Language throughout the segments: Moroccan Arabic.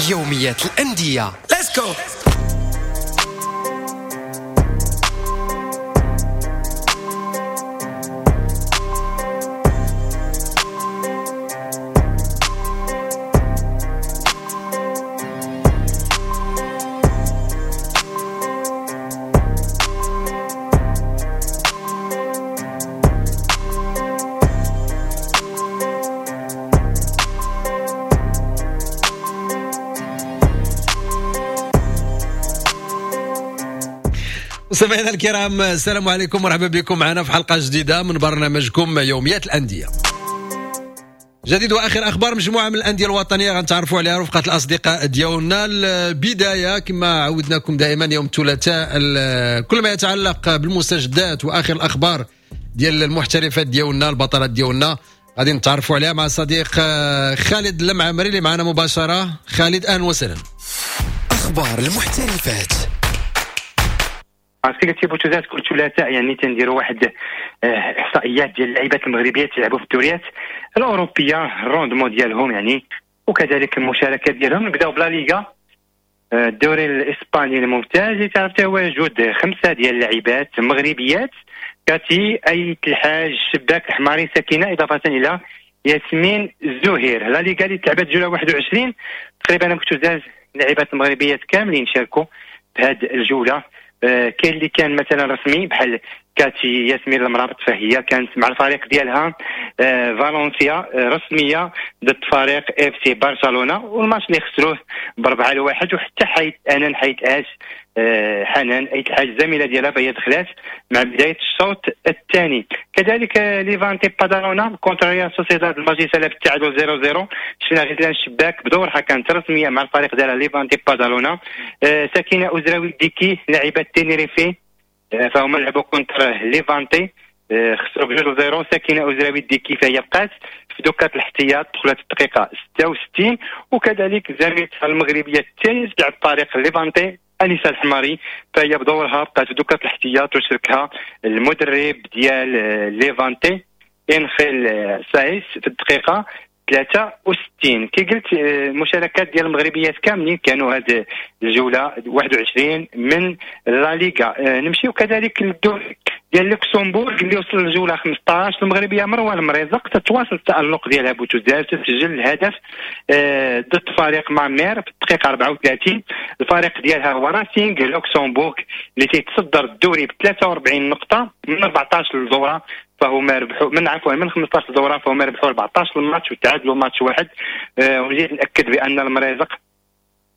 يوميات الأندية. Let's go. مستمعينا الكرام، السلام عليكم، مرحبا بكم معنا في حلقة جديدة من برنامجكم يوميات الأندية. جديد واخر اخبار مجموعة من الاندية الوطنية غنتعرفوا عليها رفقه الاصدقاء ديالنا. البداية كما عودناكم دائما يوم الثلاثاء كل ما يتعلق بالمستجدات واخر الاخبار ديال المحترفات ديالنا، البطلات ديالنا، غادي نتعرفوا عليها مع صديق خالد المعمري اللي معنا مباشرة. خالد، اهلا وسهلا. اخبار المحترفات. عرفتي قلتي بوتوزات كل ثلاثاء، يعني تنديروا واحد احصائيات ديال اللعيبات المغربيات تلعبوا في الدوريات الاوروبية، ال rendement ديالهم يعني، وكذلك المشاركات ديالهم. نبداو ب la Liga، الدوري الاسباني الممتاز اللي تعرف تواجد 5 ديال اللاعبات مغربيات: كاتي، ايت الحاج، شباك، الحماري، سكينة، اضافه الى ياسمين الزهير. la Liga اللي تلعبت جولة 21 تقريبا بوتوزات اللاعبات المغربيات كاملين شاركوا في هذه الجولة. كاين اللي كان مثلا رسمي بحال كاتي ياسمين المرابط، فهي كانت مع الفريق ديالها فالنسيا رسمية ضد فريق اف سي برشلونة، والماتش اللي خسروه ب4-1. وحتى حيت انا حيت اش حنان ايت الحاج الزميلة ديالها، فهي دخلات مع بداية الشوط الثاني. كذلك ليفانتي بادالونا contre ريال سوسيداد، الماتش سالا بالتعادل 0-0. شفنا غزلان الشباك بدورها كانت رسمية مع الفريق ديالها ليفانتي بادالونا. سكينة ازراوي ديكي لاعبه تينيريفي، فهما لعبوا contre ليفانتي، خسروا ب2-0. سكينة ازراوي ديكي فهي بقات في دكه الاحتياط، دخلت الدقيقة 66. وكذلك زميلتها المغربية الثانية تلعب فريق ليفانتي انيسة الحماري، فهي بدورها بقات في دكه الاحتياط وشاركها المدرب ديال ليفانتي انخيل سايس في الدقيقة 63. كي قلت المشاركات ديال المغربيات كاملين كانوا هذه الجولة 21 من لا ليغا. نمشيو كذلك للدوري ديال لوكسمبورغ اللي وصل للجوله 15. المغربية مروه المريزق تتواصل التالق ديالها بوتوزال، تسجل الهدف ضد فريق مامير في الدقيقة 34. الفريق ديالها هو راسينغ لوكسمبورغ اللي تيتصدر الدوري ب 43 نقطة من 14 دوره، فهما ربحوا من عفوا من 15 دوره، فهما ربحوا 14 ماتش وتعادلوا ماتش واحد. ونزيد ناكد بان المريزق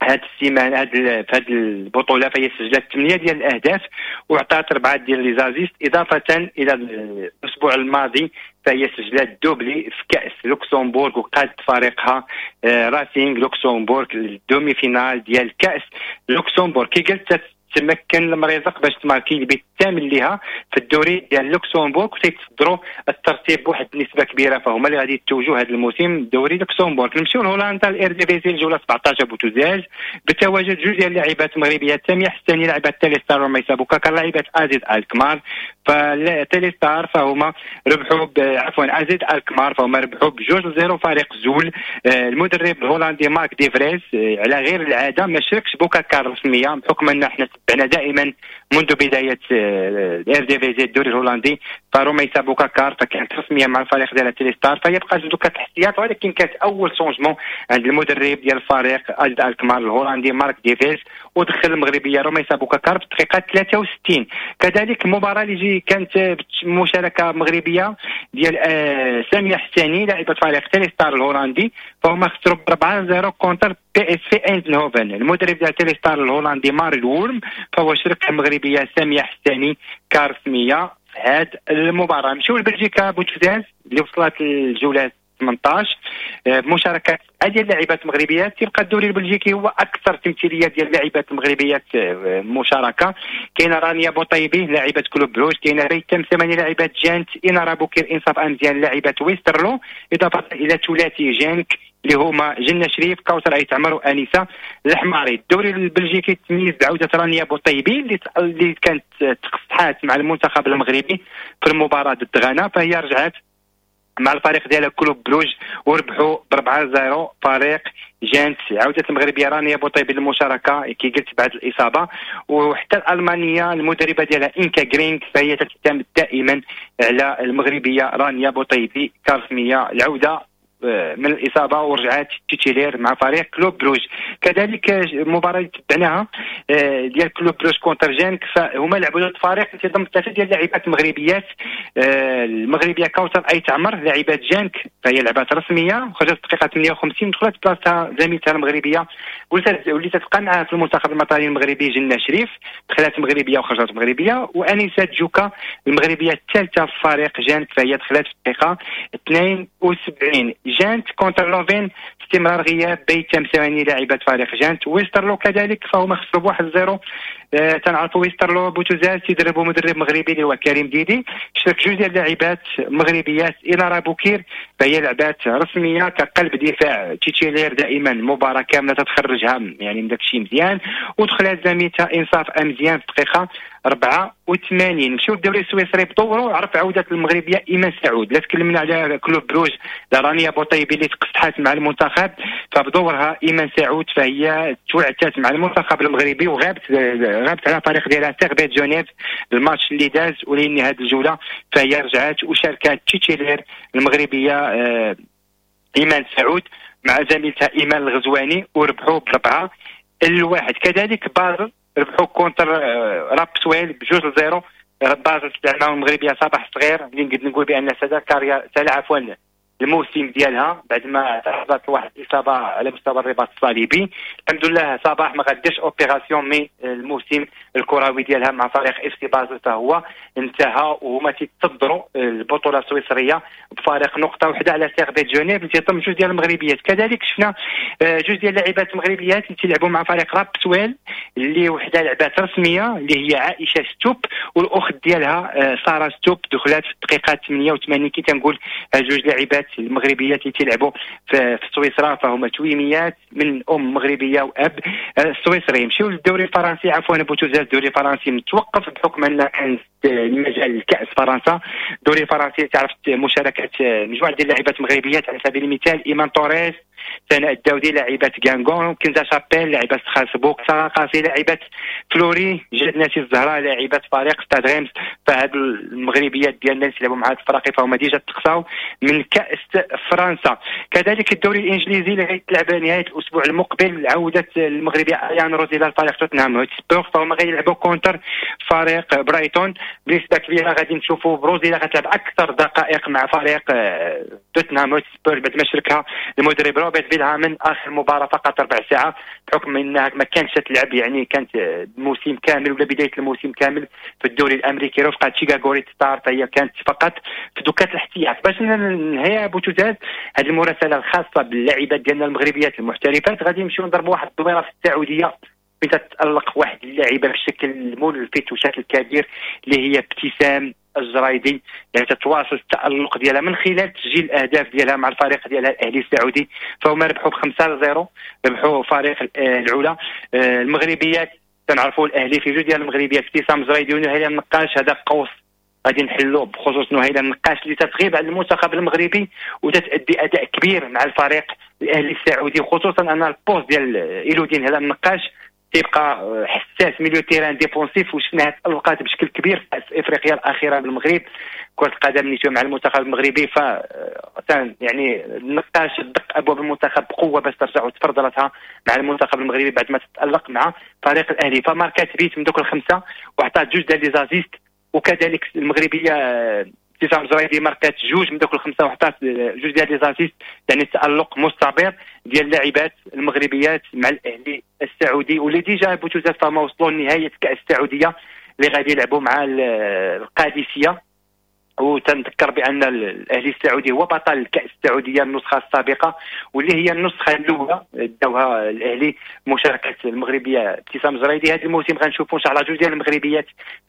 هاد السيمانة هاد في هاد البطولة فهي سجلت 8 ديال الاهداف وعطات 4 ديال les assists، اضافه الى الاسبوع الماضي فهي سجلت doublé في كاس لوكسمبورغ وقادت فريقها راسينغ لوكسمبورغ لل demi-finale ديال كاس لوكسمبورغ. كي قلت تمكن المريزق باش تماركي البيت الثامن ليها في الدوري ديال لوكسمبورغ، وتيتصدروا الترتيب بواحد النسبة كبيرة، فهما اللي غادي يتوجوا هذا الموسم دوري لوكسمبورغ. نمشيو لهولندا، الايرديفيزي الجولة 17 بوتوزاج بتواجد جوج ديال اللاعبات المغربيات: سامية حساني لاعبه تيليستار وميسا بوكاكا لاعبه ازيد الكمار. فتيليستار فهما ربحوا عفوا ازيد الكمار فهما ربحوا ب2-0 فريق زول. المدرب الهولندي مارك ديفريس على غير العادة ما شاركش بوكاكا رسمية، بحكم ان احنا تبعنا دائما منذ بداية الايرديفيزي الدوري الهولندي، فروميسا بوكاكار فكانت رسمية مع الفريق ديال تيليستار، فهي بقات دكه الاحتياط، ولكن كانت اول changement عند المدرب ديال الفريق ازيد الكمار الهولندي مارك ديفيز، ودخل المغربية روميسا بوكاكار في الدقيقة 63. كذلك المباراة اللي كانت مشاركة مغربية ديال سامية حساني لاعبه فريق تيليستار الهولندي، فهما خسروا 4-0 contre بي اس في ايندهوفن. المدرب ديال تيليستار الهولندي ماريل وورم فهو شرك المغربية سامية حساني كرسميه في هذه المباراة. نمشيو لبلجيكا بوتوزاز اللي وصلت للجوله 18 بمشاركة ديال اللاعبات المغربيات. تيبقى الدوري البلجيكي هو اكثر تمثيلية ديال اللاعبات المغربيات مشاركة. كاينه رانيا بوطيبي لاعبه كلوب بروج، كاينه ريتم ثمانية لاعبات جانت، انارا بوكير انصاف امزيان لاعبه ويسترلو، اضافه الى ثلاثي جانك اللي هما جنة شريف، كوثر ايت عمر، وانيسه الحماري. الدوري البلجيكي تميز بعوده رانيا بوطيبي اللي كانت تقصحات مع المنتخب المغربي في المباراة ضد غانا، فهي رجعت مع الفريق ديالها كلوب بروج وربحوا ب 4-0 فريق جانت. عودة المغربية رانيا بوطيبي للمشاركة كي قلت بعد الإصابة، وحتى الألمانية المدربة ديالها إنكا غرينغ فهي تعتمد دائما على المغربية رانيا بوطيبي كرسمية. العودة من الإصابة ورجعات titulaire مع فريق كلوب بروج. كذلك المباراة اللي تبعناها ديال كلوب بروج contre جانك، فهما لعبوا ضد فريق تيضم ثلاثة ديال اللاعبات المغربيات، المغربية كوثر أيت عمر لاعبات جانك فهي لعبات رسمية وخرجت الدقيقة 58 دخلت بلاصتها زميلتها المغربية واللي تتبقى معها في المنتخب الوطني المغربي جنة شريف، دخلت مغربية وخرجت مغربية، وأنيسة جوكا المغربية الثالثة في فريق جانك فهي دخلت في الدقيقة 72. جانت contre لوفين استمرار غياب بيتم ثواني لاعبة فريق جانت. ويسترلو كذلك فهما خسروا ب 1-0. تنعرفوا ويسترلو بوتوزاز تيدربوا مدرب مغربي اللي هو كريم ديدي، شارك جوج ديال اللاعبات مغربيات، إلارا بوكير فهي لعبات رسمية كقلب دفاع titulaire دائما مباراة كاملة تتخرجها يعني من داك الشيء مزيان، ودخلات زميلتها انصاف امزيان في الدقيقة 84. نمشيو للدوري السويسري بدورو عرف عوده المغربية ايمان سعود. لا تكلمنا على كلوب بروج رانيا بوطيبي اللي تقصحات مع المنتخب، فبدورها ايمان سعود فهي توعتات مع المنتخب المغربي وغابت غابت على فريق ديالها سيرفيت جنيف الماتش اللي داز ولين هذه الجولة فهي رجعت وشاركات titulaire المغربية ايمان سعود مع زميلتها ايمان الغزواني وربحوا ب4-1. كذلك بازل ربحوا contre رابسويل ب2-0. بازل تلعب المغربية صباح الصغير اللي نقدر نقول بان سالا carrière سالا عفوا الموسم ديالها بعد ما تعرضت لواحد الاصابة على مستوى الرباط الصليبي. الحمد لله صباح ما غاديش opération، mais الموسم الكروي ديالها مع فريق اف سي بازل فهو انتهى، وهما تيتصدروا البطولة السويسريه بفارق نقطة واحدة على سيرفيت جنيف اللي تيضم جوج ديال المغربيات. كذلك شفنا جوج ديال اللاعبات المغربيات اللي تيلعبوا مع فريق رابسويل اللي وحده لعبات رسمية اللي هي عائشة ستوب والاخت ديالها ساره ستوب دخلات في الدقيقة 88. كي تنقول جوج لاعبات المغربيات اللي تيلعبوا في سويسرا فهما تويميات من ام مغربية واب سويسري. نمشيو للدوري الفرنسي، عفوا بوتوزاز الدوري الفرنسي متوقف بحكم ان كان المجال الكاس فرنسا. الدوري الفرنسي تعرف مشاركة مجموعة ديال اللاعبات المغربيات على سبيل المثال ايمان توريس، سناء الداودي لاعبات غانغون، كنزا شابيل لاعبات ستراسبورغ، ساره قاسي لاعبات فلوري، جاد ناسي الزهراء لاعبات فريق ستاد ريمس. فهاد المغربيات ديالنا اللي تلعبوا مع هاد الفرق فهما déjà تقصاو من كاس فرنسا. كذلك الدوري الانجليزي اللي غيتلعب نهاية الاسبوع المقبل، عوده المغربية اريان روزي لفريق توتنهام هوتسبور فهما غيلعبوا contre فريق برايتون. بنسبة كبيرة غادي نشوفوا بروزيلا غتلعب اكثر دقائق مع فريق توتنهام هوتسبور بعد ما شاركها المدرب روبرت فيلهامن اخر مباراة فقط ربع ساعة بحكم انها ما كانتش تلعب يعني كانت الموسم كامل ولا بداية الموسم كامل في الدوري الامريكي رفقه شيكاغو ريد ستار، فهي كانت فقط في دكات الاحتياط. باش ننهي بوتوزاز هذه المراسله الخاصة باللاعبات ديالنا المغربيات المحترفات، غادي نمشيو نضربوا واحد الدويره في السعودية فين تتالق واحد اللاعبه بشكل ملفت وشكل كبير اللي هي ابتسام الجرايدي، يعني تتواصل التألق ديالها من خلال تسجيل الاهداف ديالها مع الفريق ديالها الاهلي السعودي، فهما ربحوا ب5-0 ربحوا فريق العلا. المغربيات تنعرفوا الاهلي في جوج ديال المغربيات ابتسام الجرايدي ونهيلة النقاش، هذا قوس غادي نحلوه بخصوص نهيلة النقاش اللي تتغيب على المنتخب المغربي وتتأدي اداء كبير مع الفريق الاهلي السعودي، خصوصا ان ال poste ديال ايلودين هذا النقاش تيبقى حساس milieu terrain défensif، وشفناها تألقات بشكل كبير في افريقيا الاخيرة بالمغرب كره القدم اللي مع المنتخب المغربي. ف يعني النقاش دق ابواب المنتخب بقوة باش ترجع وتفرض راسها مع المنتخب المغربي بعد ما تتالق مع فريق الاهلي، فماركات بيت من دوك الخمسة وعطات جوج ديال les assists، وكذلك المغربية ابتسام زرايدي ماركات جوج من دوك الخمسة وحطات جوج ديال les assists، يعني التالق مستمر ديال اللاعبات المغربيات مع الاهلي السعودي واللي déjà بوتوزاز فما وصلوا لنهاية كاس السعودية اللي غادي يلعبوا مع القادسية. وتنذكر بان الاهلي السعودي هو بطل الكاس السعودية النسخة السابقة واللي هي النسخة الاولى داوها الاهلي مشاركة المغربية ابتسام زرايدي. هذا الموسم غنشوفوا ان شاء الله جوج ديال المغربيات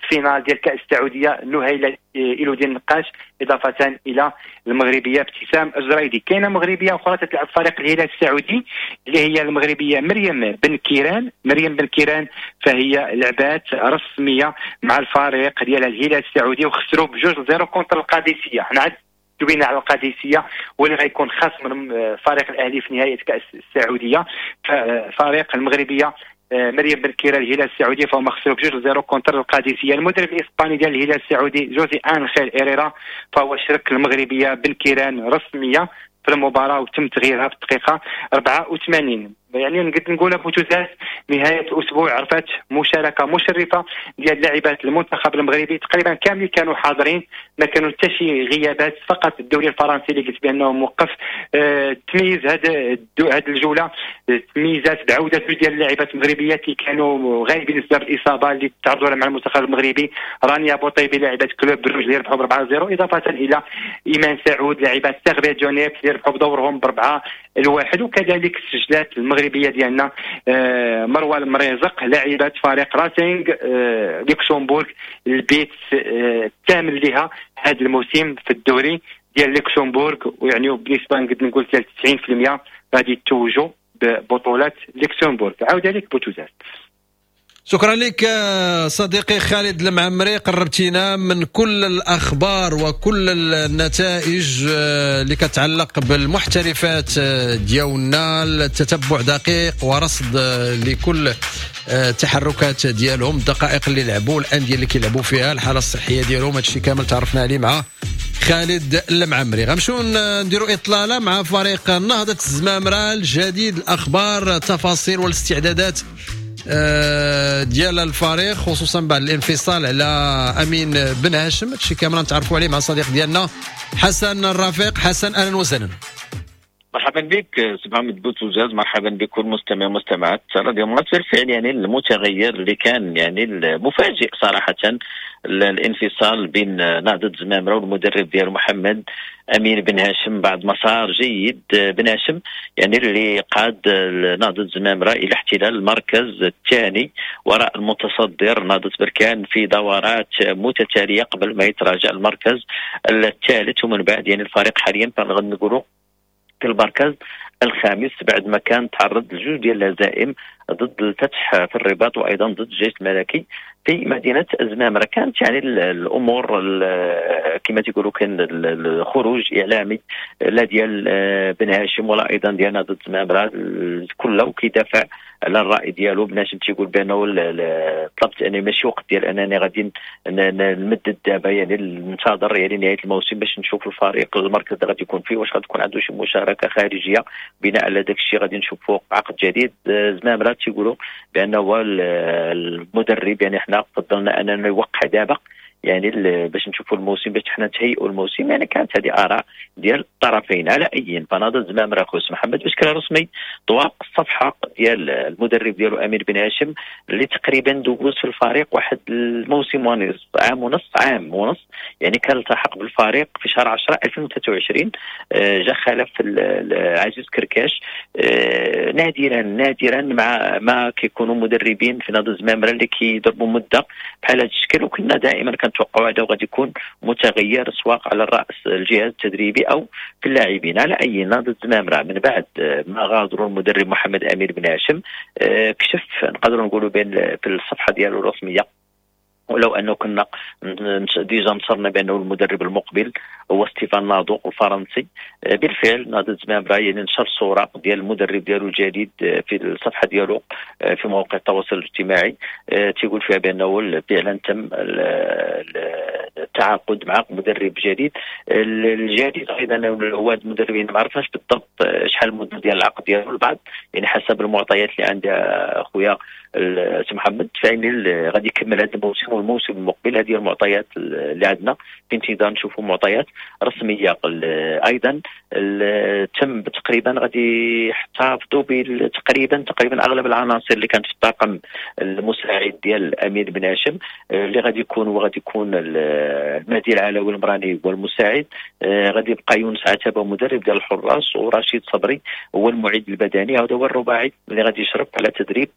في finale ديال كاس السعودية، نهيله إلودين النقاش اضافه الى المغربية ابتسام الزرايدي. كاينه مغربية اخرى تتلعب فريق الهلال السعودي اللي هي المغربية مريم بن كيران. مريم بن كيران فهي لعبات رسمية مع الفريق ديال الهلال السعودي وخسروا ب2-0 contre القادسية. حنا عاد دوينا على القادسية واللي غيكون خصم من فريق الاهلي في نهاية كاس السعوديه. فريق المغربية مريم بن كيرة الهلال السعودي فهم خسروا ب2-0 contre القادسيه. المدرب الاسباني ديال الهلال السعودي جوزي انخيل ايريرا فهو شرك المغربية بن كيران رسمية في المباراة وتم تغييرها في الدقيقة 84. يعني نقدر نقول بوتوزاس نهاية الاسبوع عرفت مشاركة مشرفة ديال لاعبات المنتخب المغربي، تقريبا كاملين كانوا حاضرين، ما كانوا حتى شي غيابات، فقط الدوري الفرنسي اللي قلت بانه موقف. تميز هذه الجولة تميزات بعوده ديال اللاعبات المغربيات اللي كانوا غايبين بسبب الاصابة اللي تعرضوا لها مع المنتخب المغربي، رانيا بوطيبي لاعبه كلوب بروج اللي ربحوا ب 4-0، اضافه الى ايمان سعود لاعبات سيرفيت جونيف اللي ربحوا بدورهم ب4-1، وكذلك سجلات المغربية ديالنا مروه المريزق لاعبه فريق راسينغ لوكسمبورغ البيت الثامن لها هذا الموسم في الدوري ديال لوكسمبورغ، ويعني بالنسبة نقدر نقول 90% غادي يتوجوا ببطولات لوكسمبورغ. عاود عليك بوتوزاس. شكرا لك صديقي خالد المعمري، قربتينا من كل الأخبار وكل النتائج اللي كتعلق بالمحترفات ديالنا، التتبع دقيق ورصد لكل التحركات ديالهم، الدقائق اللي لعبوا، الأندية اللي كيلعبوا فيها، الحالة الصحية ديالهم، هادشي كامل تعرفنا عليه مع خالد المعمري. غنمشيو نديروا إطلالة مع فريق نهضة الزمامرة، الجديد، الأخبار، التفاصيل والاستعدادات ديال الفريق، خصوصا بعد الانفصال على امين بن هاشم. هادشي كامل نتعرفوا عليه مع الصديق ديالنا حسن الرفيق. حسن، اهلا وسهلا. مرحبا بك سي محمد بوتوزاز، مرحبا بكل مستمع ومستمعات راديو مارس. بالفعل يعني المتغير اللي كان يعني المفاجئ صراحة الانفصال بين نهضة زمامرة والمدرب ديال محمد امين بن هاشم بعد مسار جيد. بن هاشم يعني اللي قاد نهضة زمامرة الى احتلال المركز الثاني وراء المتصدر نهضة بركان في دورات متتالية قبل ما يتراجع المركز الثالث، ومن بعد يعني الفريق حاليا نقولوا في المركز الخامس بعد ما كان تعرض لجوج ديال الهزائم ضد الفتح في الرباط وايضا ضد الجيش الملكي في مدينة زمامرة. كانت يعني الامور كما تيقولوا كان الخروج اعلامي لا ديال بن هاشم ولا ايضا ديال نهضة زمامرة كله كيدافع على الراي ديالو. بن هاشم تيقول بانه طلبت اني ماشي وقت ديال انني غادي نمدد دابا، يعني ننتظر يعني نهاية الموسم باش نشوف الفريق المركز اللي غادي يكون فيه واش غتكون عنده شي مشاركة خارجية، بناء على داك الشيء غادي نشوفوا عقد جديد. زمامرة تيقولوا بانه هو المدرب، يعني حنا فضلنا اننا يوقع دابا يعني باش نشوفوا الموسم باش حنا نتهيئوا الموسم. يعني كانت هذه اراء ديال الطرفين. على اي فنهضه زمامرة خوس محمد بشكل رسمي طواق الصفحة ديال المدرب ديالو امين بن هاشم اللي تقريبا دوز في الفريق واحد الموسم ونصف، عام ونص، عام ونص، يعني كان التحق بالفريق في شهر 10 2023، جا خلف عزيز كركاش. نادرا مع ما كيكونوا مدربين في نهضة زمامرة اللي كيضربوا مده بحال هذا الشكل، وكنا دائما كنتوقعوا هذا وغادي يكون متغير سواء على الراس الجهاز التدريبي او في اللاعبين. على اي نهضة زمامرة من بعد ما غادروا المدرب محمد امين بن هاشم كشف نقدروا نقولوا بين في الصفحة ديالو الرسمية، ولو انه كنا déjà نصرنا بانه المدرب المقبل هو ستيفان نادو الفرنسي. بالفعل نهضة زمامرة يعني نشر صوره ديال المدرب ديالو الجديد في الصفحة ديالو في مواقع التواصل الاجتماعي، تيقول فيها بانه فعلا تم التعاقد مع مدرب جديد. الجديد ايضا هو المدربين ما عرفناش بالضبط شحال المدة ديال العقد ديالو البعض، يعني حسب المعطيات اللي عندي اخويا سي محمد فإن غادي يكمل هذا الموسم والموسم المقبل. هذه المعطيات اللي عندنا في انتظار نشوفوا معطيات رسمية. ايضا تم تقريبا غادي يحتفظوا تقريبا اغلب العناصر اللي كانت في الطاقم المساعد ديال امين بن هاشم اللي غادي يكون وغادي يكون المهدي العلوي المراني هو المساعد، غادي يبقى يونس عتبة مدرب ديال الحراس، ورشيد صبري هو المعد البدني. هذا هو الرباعي اللي غادي يشرف على تدريب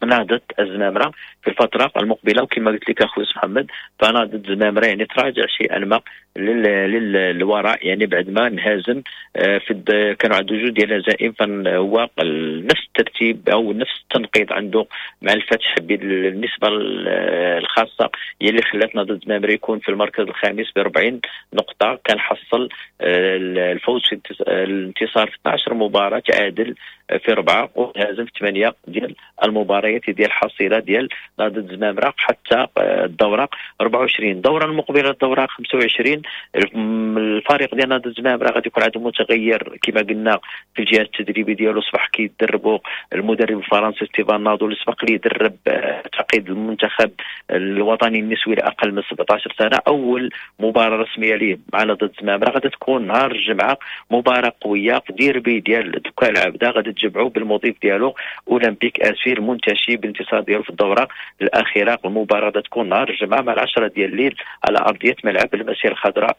نهضة الزمامرة في الفترة المقبلة. وكما قلت لك أخوي محمد، فنهضة الزمامرة يعني تراجع شيئا ما للوراء، يعني بعد ما انهزم في كانوا عنده جوج ديال الهزائم، فهو نفس الترتيب او نفس التنقيط عنده مع الفتح بالنسبة الخاصة هي اللي خلات نهضة الزمامرة يكون في المركز الخامس ب 40 نقطة. كان حصل الفوز في الانتصار في 12 مباراة، تعادل في 4 وهزم في 8 ديال المباريات ديال الحصيلة ديال نهضة الزمامرة حتى الدورة 24. الدورة المقبلة الدورة 25 الفريق ديال نهضة الزمامرة غادي يكون عنده متغير كما قلنا في الجهاز التدريبي ديالو. صبح كيدربوا المدرب الفرنسي ستيفان نادو اللي سبق ليه درب تعقيد المنتخب الوطني النسوي لاقل من 17 سنة. اول مباراة رسمية ليه مع نهضة الزمامرة غادي تكون نهار الجمعة، مباراة قوية في ديربي ديال دكان العبده، غادي تجمعوا بالمضيف ديالو اولمبيك اسفي المنتشي بالانتصار ديالو في الدورة الاخيرة. المباراة غادي تكون نهار الجمعة مع 10 ديال الليل على ارضية ملعب المسيرة الخضراء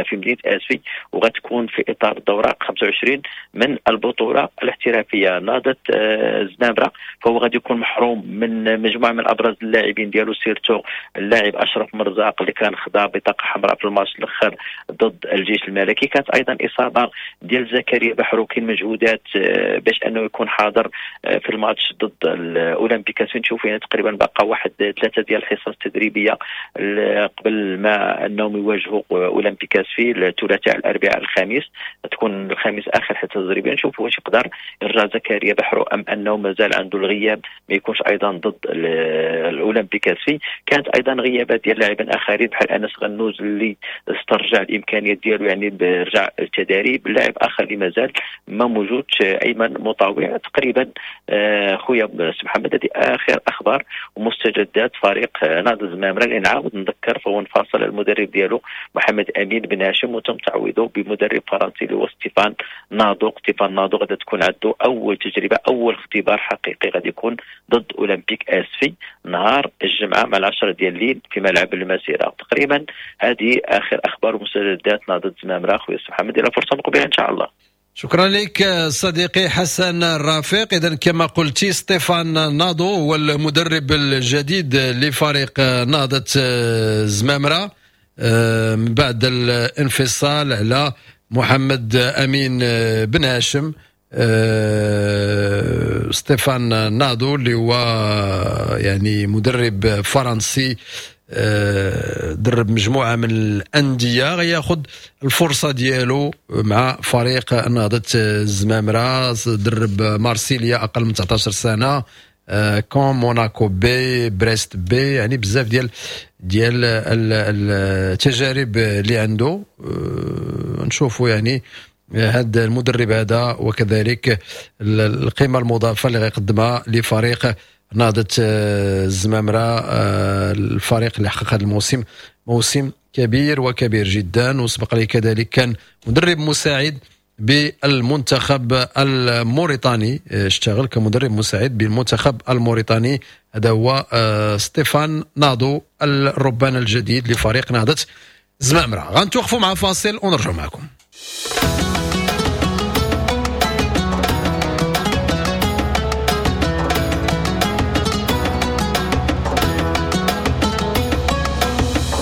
في مدينة اسفي، وغتكون في اطار الدورة 25 من البطولة الاحترافية. نهضة الزمامرة فهو غادي يكون محروم من مجموعة من ابرز اللاعبين ديالو، surtout اللاعب اشرف مرزاق اللي كان خدا بطاقة حمراء في الماتش الاخر ضد الجيش الملكي. كانت ايضا اصابه ديال زكريا بحروكين، مجهودات باش انه يكون حاضر في الماتش ضد الاولمبيك. نشوف يعني تقريبا بقى واحد 3 ديال الحصص التدريبية قبل ما انهم يواجهوا اولمبيك اسفي الثلاثاء الاربعاء الخميس، تكون الخميس اخر حصة تدريبية. نشوف واش يقدر يرجع زكريا بحرو ام انه مازال عنده الغياب ما يكونش ايضا ضد الاولمبيك اسفي. كانت ايضا غيابات ديال لاعبين اخرين بحال انس غنوز اللي استرجع الامكانيات ديالو، يعني رجع التدريب. لاعب اخر اللي مازال ما موجودش ايمن مطاوع. تقريبا خويا محمد هذه اخر اخبار ومستجدات فريق نهضة الزمامرة اللي نعاود نذكر فهو انفصل المدرب ديالو محمد امين بن هاشم وتم تعويضه بمدرب فرنسي اللي هو ستيفان نادو. ستيفان نادو غادي تكون عنده اول تجربه، اول اختبار حقيقي غادي يكون ضد اولمبيك اسفي نهار الجمعة مع 10 ديال الليل في ملعب المسيرة. تقريبا هذه اخر اخبار ومستجدات نهضة الزمامرة خويا محمد، الى فرصة مقبله ان شاء الله. شكرا لك صديقي حسن الرافق. إذا كما قلتي ستيفان نادو هو المدرب الجديد لفريق نهضة الزمامرة من بعد الانفصال على محمد أمين بن هاشم. ستيفان نادو اللي هو يعني مدرب فرنسي درب مجموعة من الأندية، غياخذ الفرصة ديالو مع فريق نهضة الزمامرة. درب مارسيليا أقل من 19 سنة، كون موناكو B، بريست B، يعني بزاف ديال التجارب اللي عنده. نشوفوا يعني هذا المدرب هذا وكذلك القيمة المضافة اللي غيقدمها لفريق نهضة الزمامرة، الفريق اللي حقق هذا الموسم موسم كبير وكبير جدا، وسبق لي كذلك كان مدرب مساعد بالمنتخب الموريتاني، اشتغل كمدرب مساعد بالمنتخب الموريتاني. هذا هو ستيفان نادو الربان الجديد لفريق نهضة الزمامرة. غنتوقفوا مع فاصل ونرجع معكم.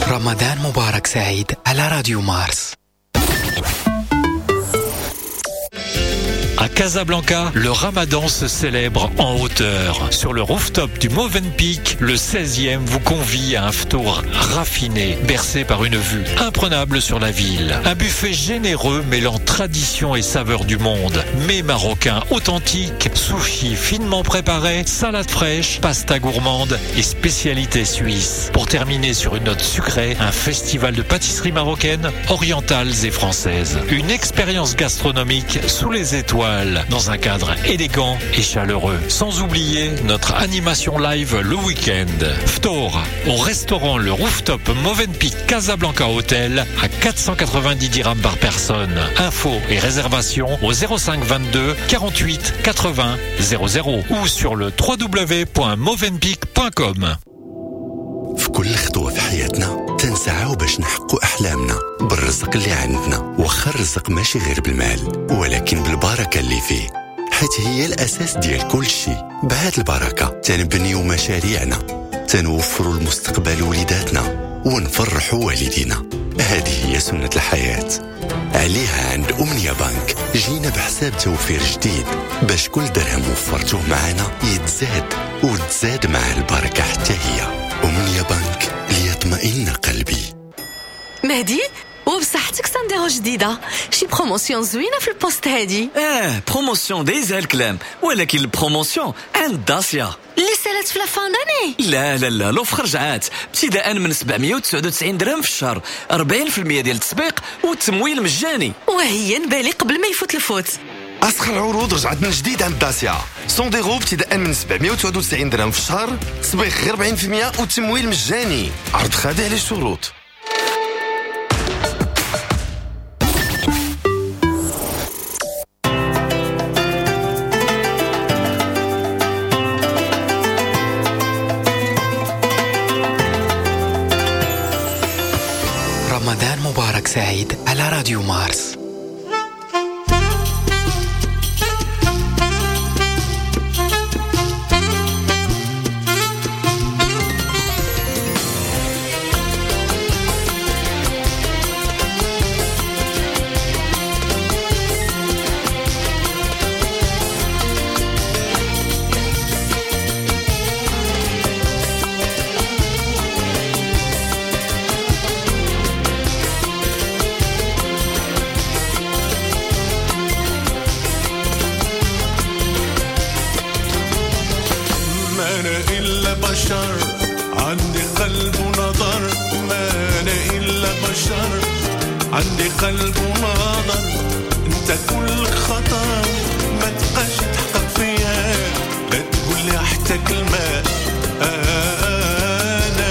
رمضان مبارك سعيد على راديو مارس. À Casablanca, le Ramadan se célèbre en hauteur. Sur le rooftop du Movenpick, le 16e vous convie à un ftour raffiné, bercé par une vue imprenable sur la ville. Un buffet généreux mêlant tradition et saveur du monde. Mets marocains authentiques, sushis finement préparés, salades fraîches, pasta gourmande et spécialités suisses. Pour terminer sur une note sucrée, un festival de pâtisseries marocaines, orientales et françaises. Une expérience gastronomique sous les étoiles, dans un cadre élégant et chaleureux. Sans oublier notre animation live le week-end. Ftour, au restaurant Le Rooftop Movenpick Casablanca Hotel à 490 dirhams par personne. Infos et réservations au 05 22 48 80 00 ou sur le www.movenpick.com. في كل خطوة في حياتنا تنسعاو باش نحققوا أحلامنا بالرزق اللي عندنا، واخا الرزق ماشي غير بالمال ولكن بالبركة اللي فيه. حيت هي الأساس ديال كل شيء. بهاد البركة تنبنيو مشاريعنا، تنوفروا المستقبل وليداتنا، ونفرحوا والدينا. هذه هي سنة الحياة. عليها عند أمنية بنك جينا بحساب توفير جديد باش كل درهم وفرتوه معنا يتزاد وتزاد مع البركة حتى هي. أمنية بنك، ليطمئن قلبي. مهدي، وبصحتك Sandero جديدة، شي promotion زوينة في ال poste هادي. Promotion دايزها الكلام، ولكن ال promotion عند داسيا اللي سالت في la fin d'année. لا لا لا، l'offre رجعات ابتداء من 799 درهم في الشهر، 40% ديال التسبيق والتمويل مجاني. وهي نبالي قبل ما يفوت الفوت. أسخر العروض رجعت من جديد عند داسيا. Sandero ابتداء من 799 درهم في الشهر، تسبيق غير 40% والتمويل مجاني. عرض خاضع للشروط. رمضان مبارك سعيد على راديو مارس. بشر عندي قلب ونظر، ما أنا إلا بشر عندي قلب ونظر. أنت كلك خطر ما تبقاش تحقق فيها، لا تقول لي حتى كلمة. أنا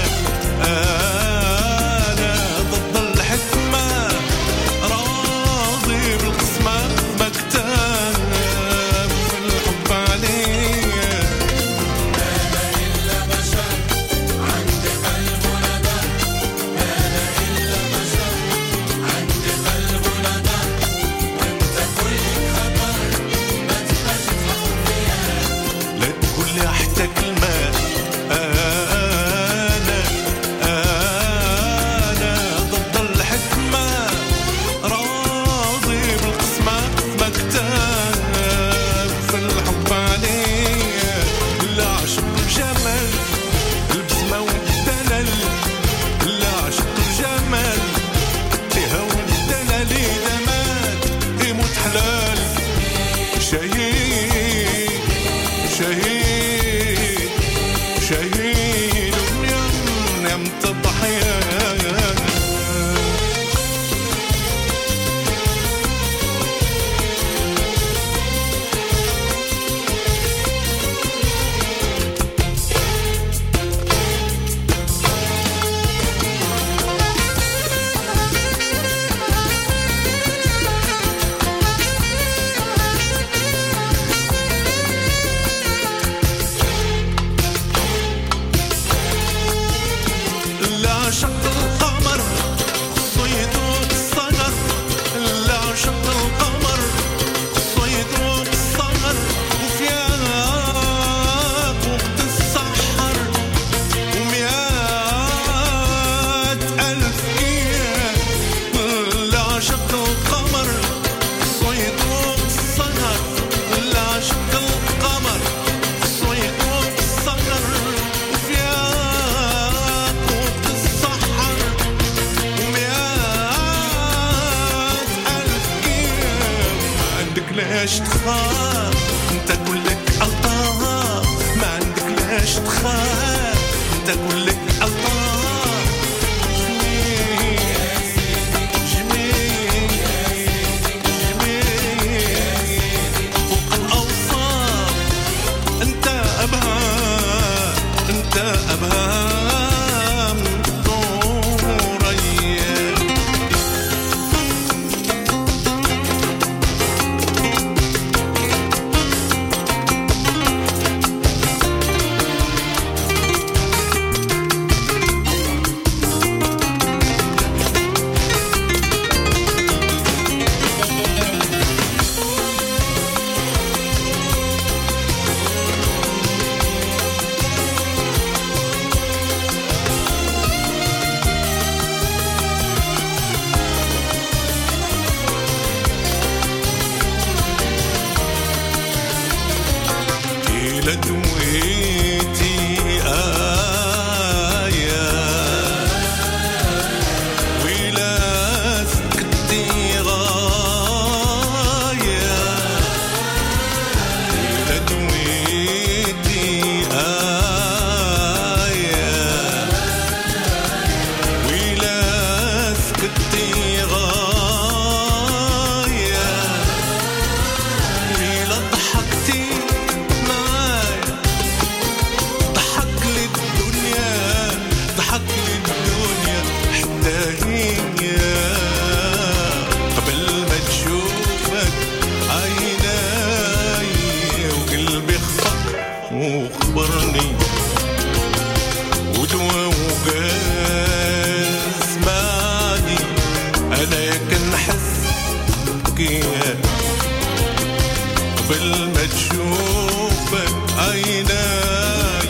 أنا ضد الحكمة، راضي بالقسمة، مكتاب في الحب عليا. أنا إلا بشر عندي قلب ونظر، أنا إلا بشر عندي قلب ونظر. وأنت كلك خطر ما تبقاش تحقق فيها، لا تقول لي حتى كلمة. أنا أنا ضد الحكمة، راضي بالقسمة، مكتاب في الحب عليا. لا عشق الجمال البسمة والدلال، لا عشق الجمال فيها والدلال. إذا مات يموت حلال، شهيد شهيد شهيد يم الضحية. لا عشق القمر خصو يذوق الصغر، لا عشق القمر خصو يذوق الصغر. وفياق وقت السحر و100,000 كيان. لا عشق القمر خصو يذوق الصغر، لا عشق القمر خصو يذوق الصغر. وفياق وقت السحر و100,000 كيان. ما عندك لاش تخاف، انت كلك ألطاف. ما عندك لاش تخاف، انت كلك ألطاف. جميل جميل جميل فوق الأوصاف، انت أبهى انت أبهى من ثريا. فيا قبل ما تشوفك عيناي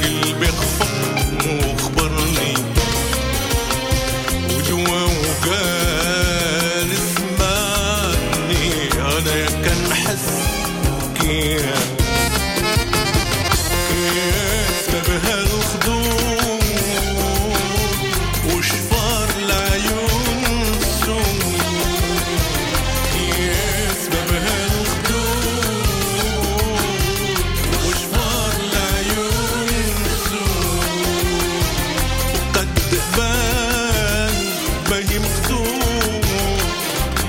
قلبي خفق وخبرني ودوا وقال اسمعني انا كنحس كيا سببها الخدود وشفار العيون السود سببها الخدود وشفار العيون السود قد بان باهي مقدور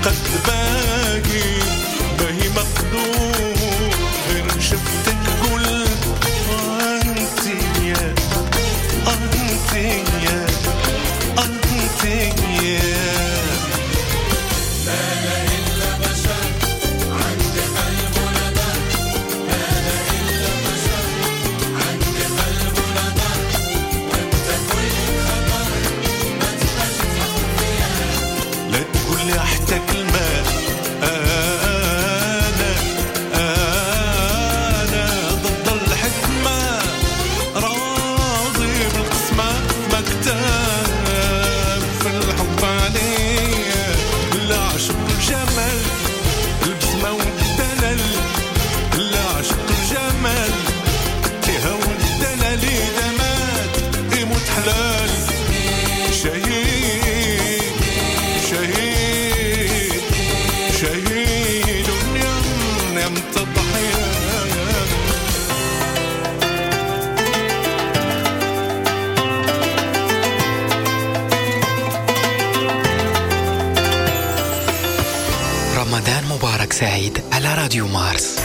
قد باهي باهي مقدور غير شفتك قلت انت يا انت يا انت يا ما أنا إلا بشر عندي قلب ونظر ما أنا إلا بشر عندي قلب ونظر وأنت كل خطر ما تبقاش تحط فيا لا تقول لي حتى كلمة أنا ضد الحكمة راضي بالقسمة مكتاب في الحب عليا لا عشق الجمال البسمة والدلال لا عشق الجمال فيها والدلال إذا مات يموت حلال شهيد شهيد شهيد يم تضحية. رمضان مبارك سعيد على راديو مارس.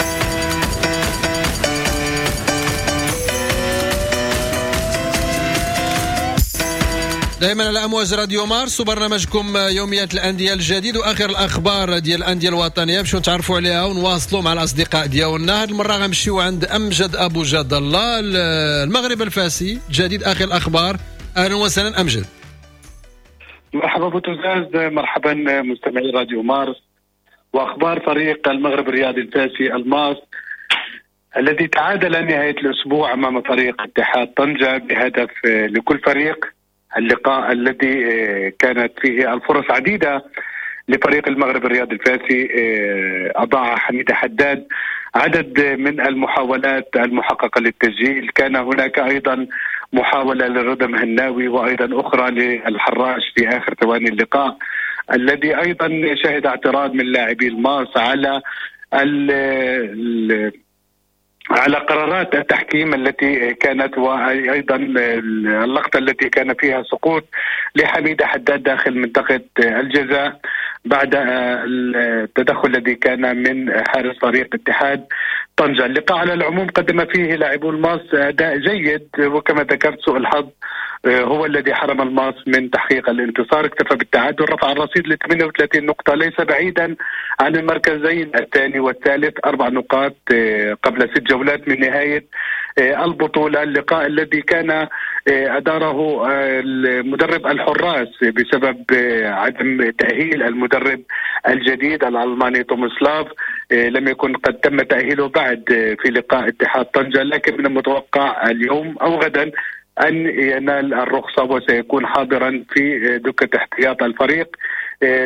دائما على امواج راديو مارس وبرنامجكم يوميات الاندية الجديد واخر الاخبار ديال الاندية الوطنية باش نتعرفوا عليها ونواصلوا مع الاصدقاء ديالنا. هذه المرة غنمشيو عند امجد ابو جد الله المغرب الفاسي، جديد اخر الاخبار. اهلا وسهلا امجد. مرحبا بوتوزاز، مرحبا مستمعي راديو مارس واخبار فريق المغرب الرياضي الفاسي الماس الذي تعادل نهاية الاسبوع امام فريق اتحاد طنجه بهدف لكل فريق. اللقاء الذي كانت فيه الفرص عديدة لفريق المغرب الرياضي الفاسي، أضاع حميد حداد عدد من المحاولات المحققة للتسجيل. كان هناك أيضا محاولة للرضا مهناوي وأيضا أخرى للحراش في آخر ثواني اللقاء الذي أيضا شهد اعتراض من لاعبي الماس على قرارات التحكيم التي كانت، وأيضا اللقطة التي كان فيها سقوط لحميد حداد داخل منطقة الجزاء بعد التدخل الذي كان من حارس فريق اتحاد طنجة. اللقاء على العموم قدم فيه لاعبو الماس أداء جيد، وكما ذكرت سوء الحظ هو الذي حرم الماس من تحقيق الانتصار، اكتفى بالتعادل، رفع الرصيد ل 38 نقطة ليس بعيدا عن المركزين الثاني والثالث، 4 نقاط قبل 6 جولات من نهاية البطولة. اللقاء الذي كان أدارة المدرب الحراس بسبب عدم تأهيل المدرب الجديد الألماني تومسلاف، لم يكن قد تم تأهيله بعد في لقاء اتحاد طنجة، لكن من المتوقع اليوم أو غدا أن ينال الرخصة وسيكون حاضرا في دكة احتياط الفريق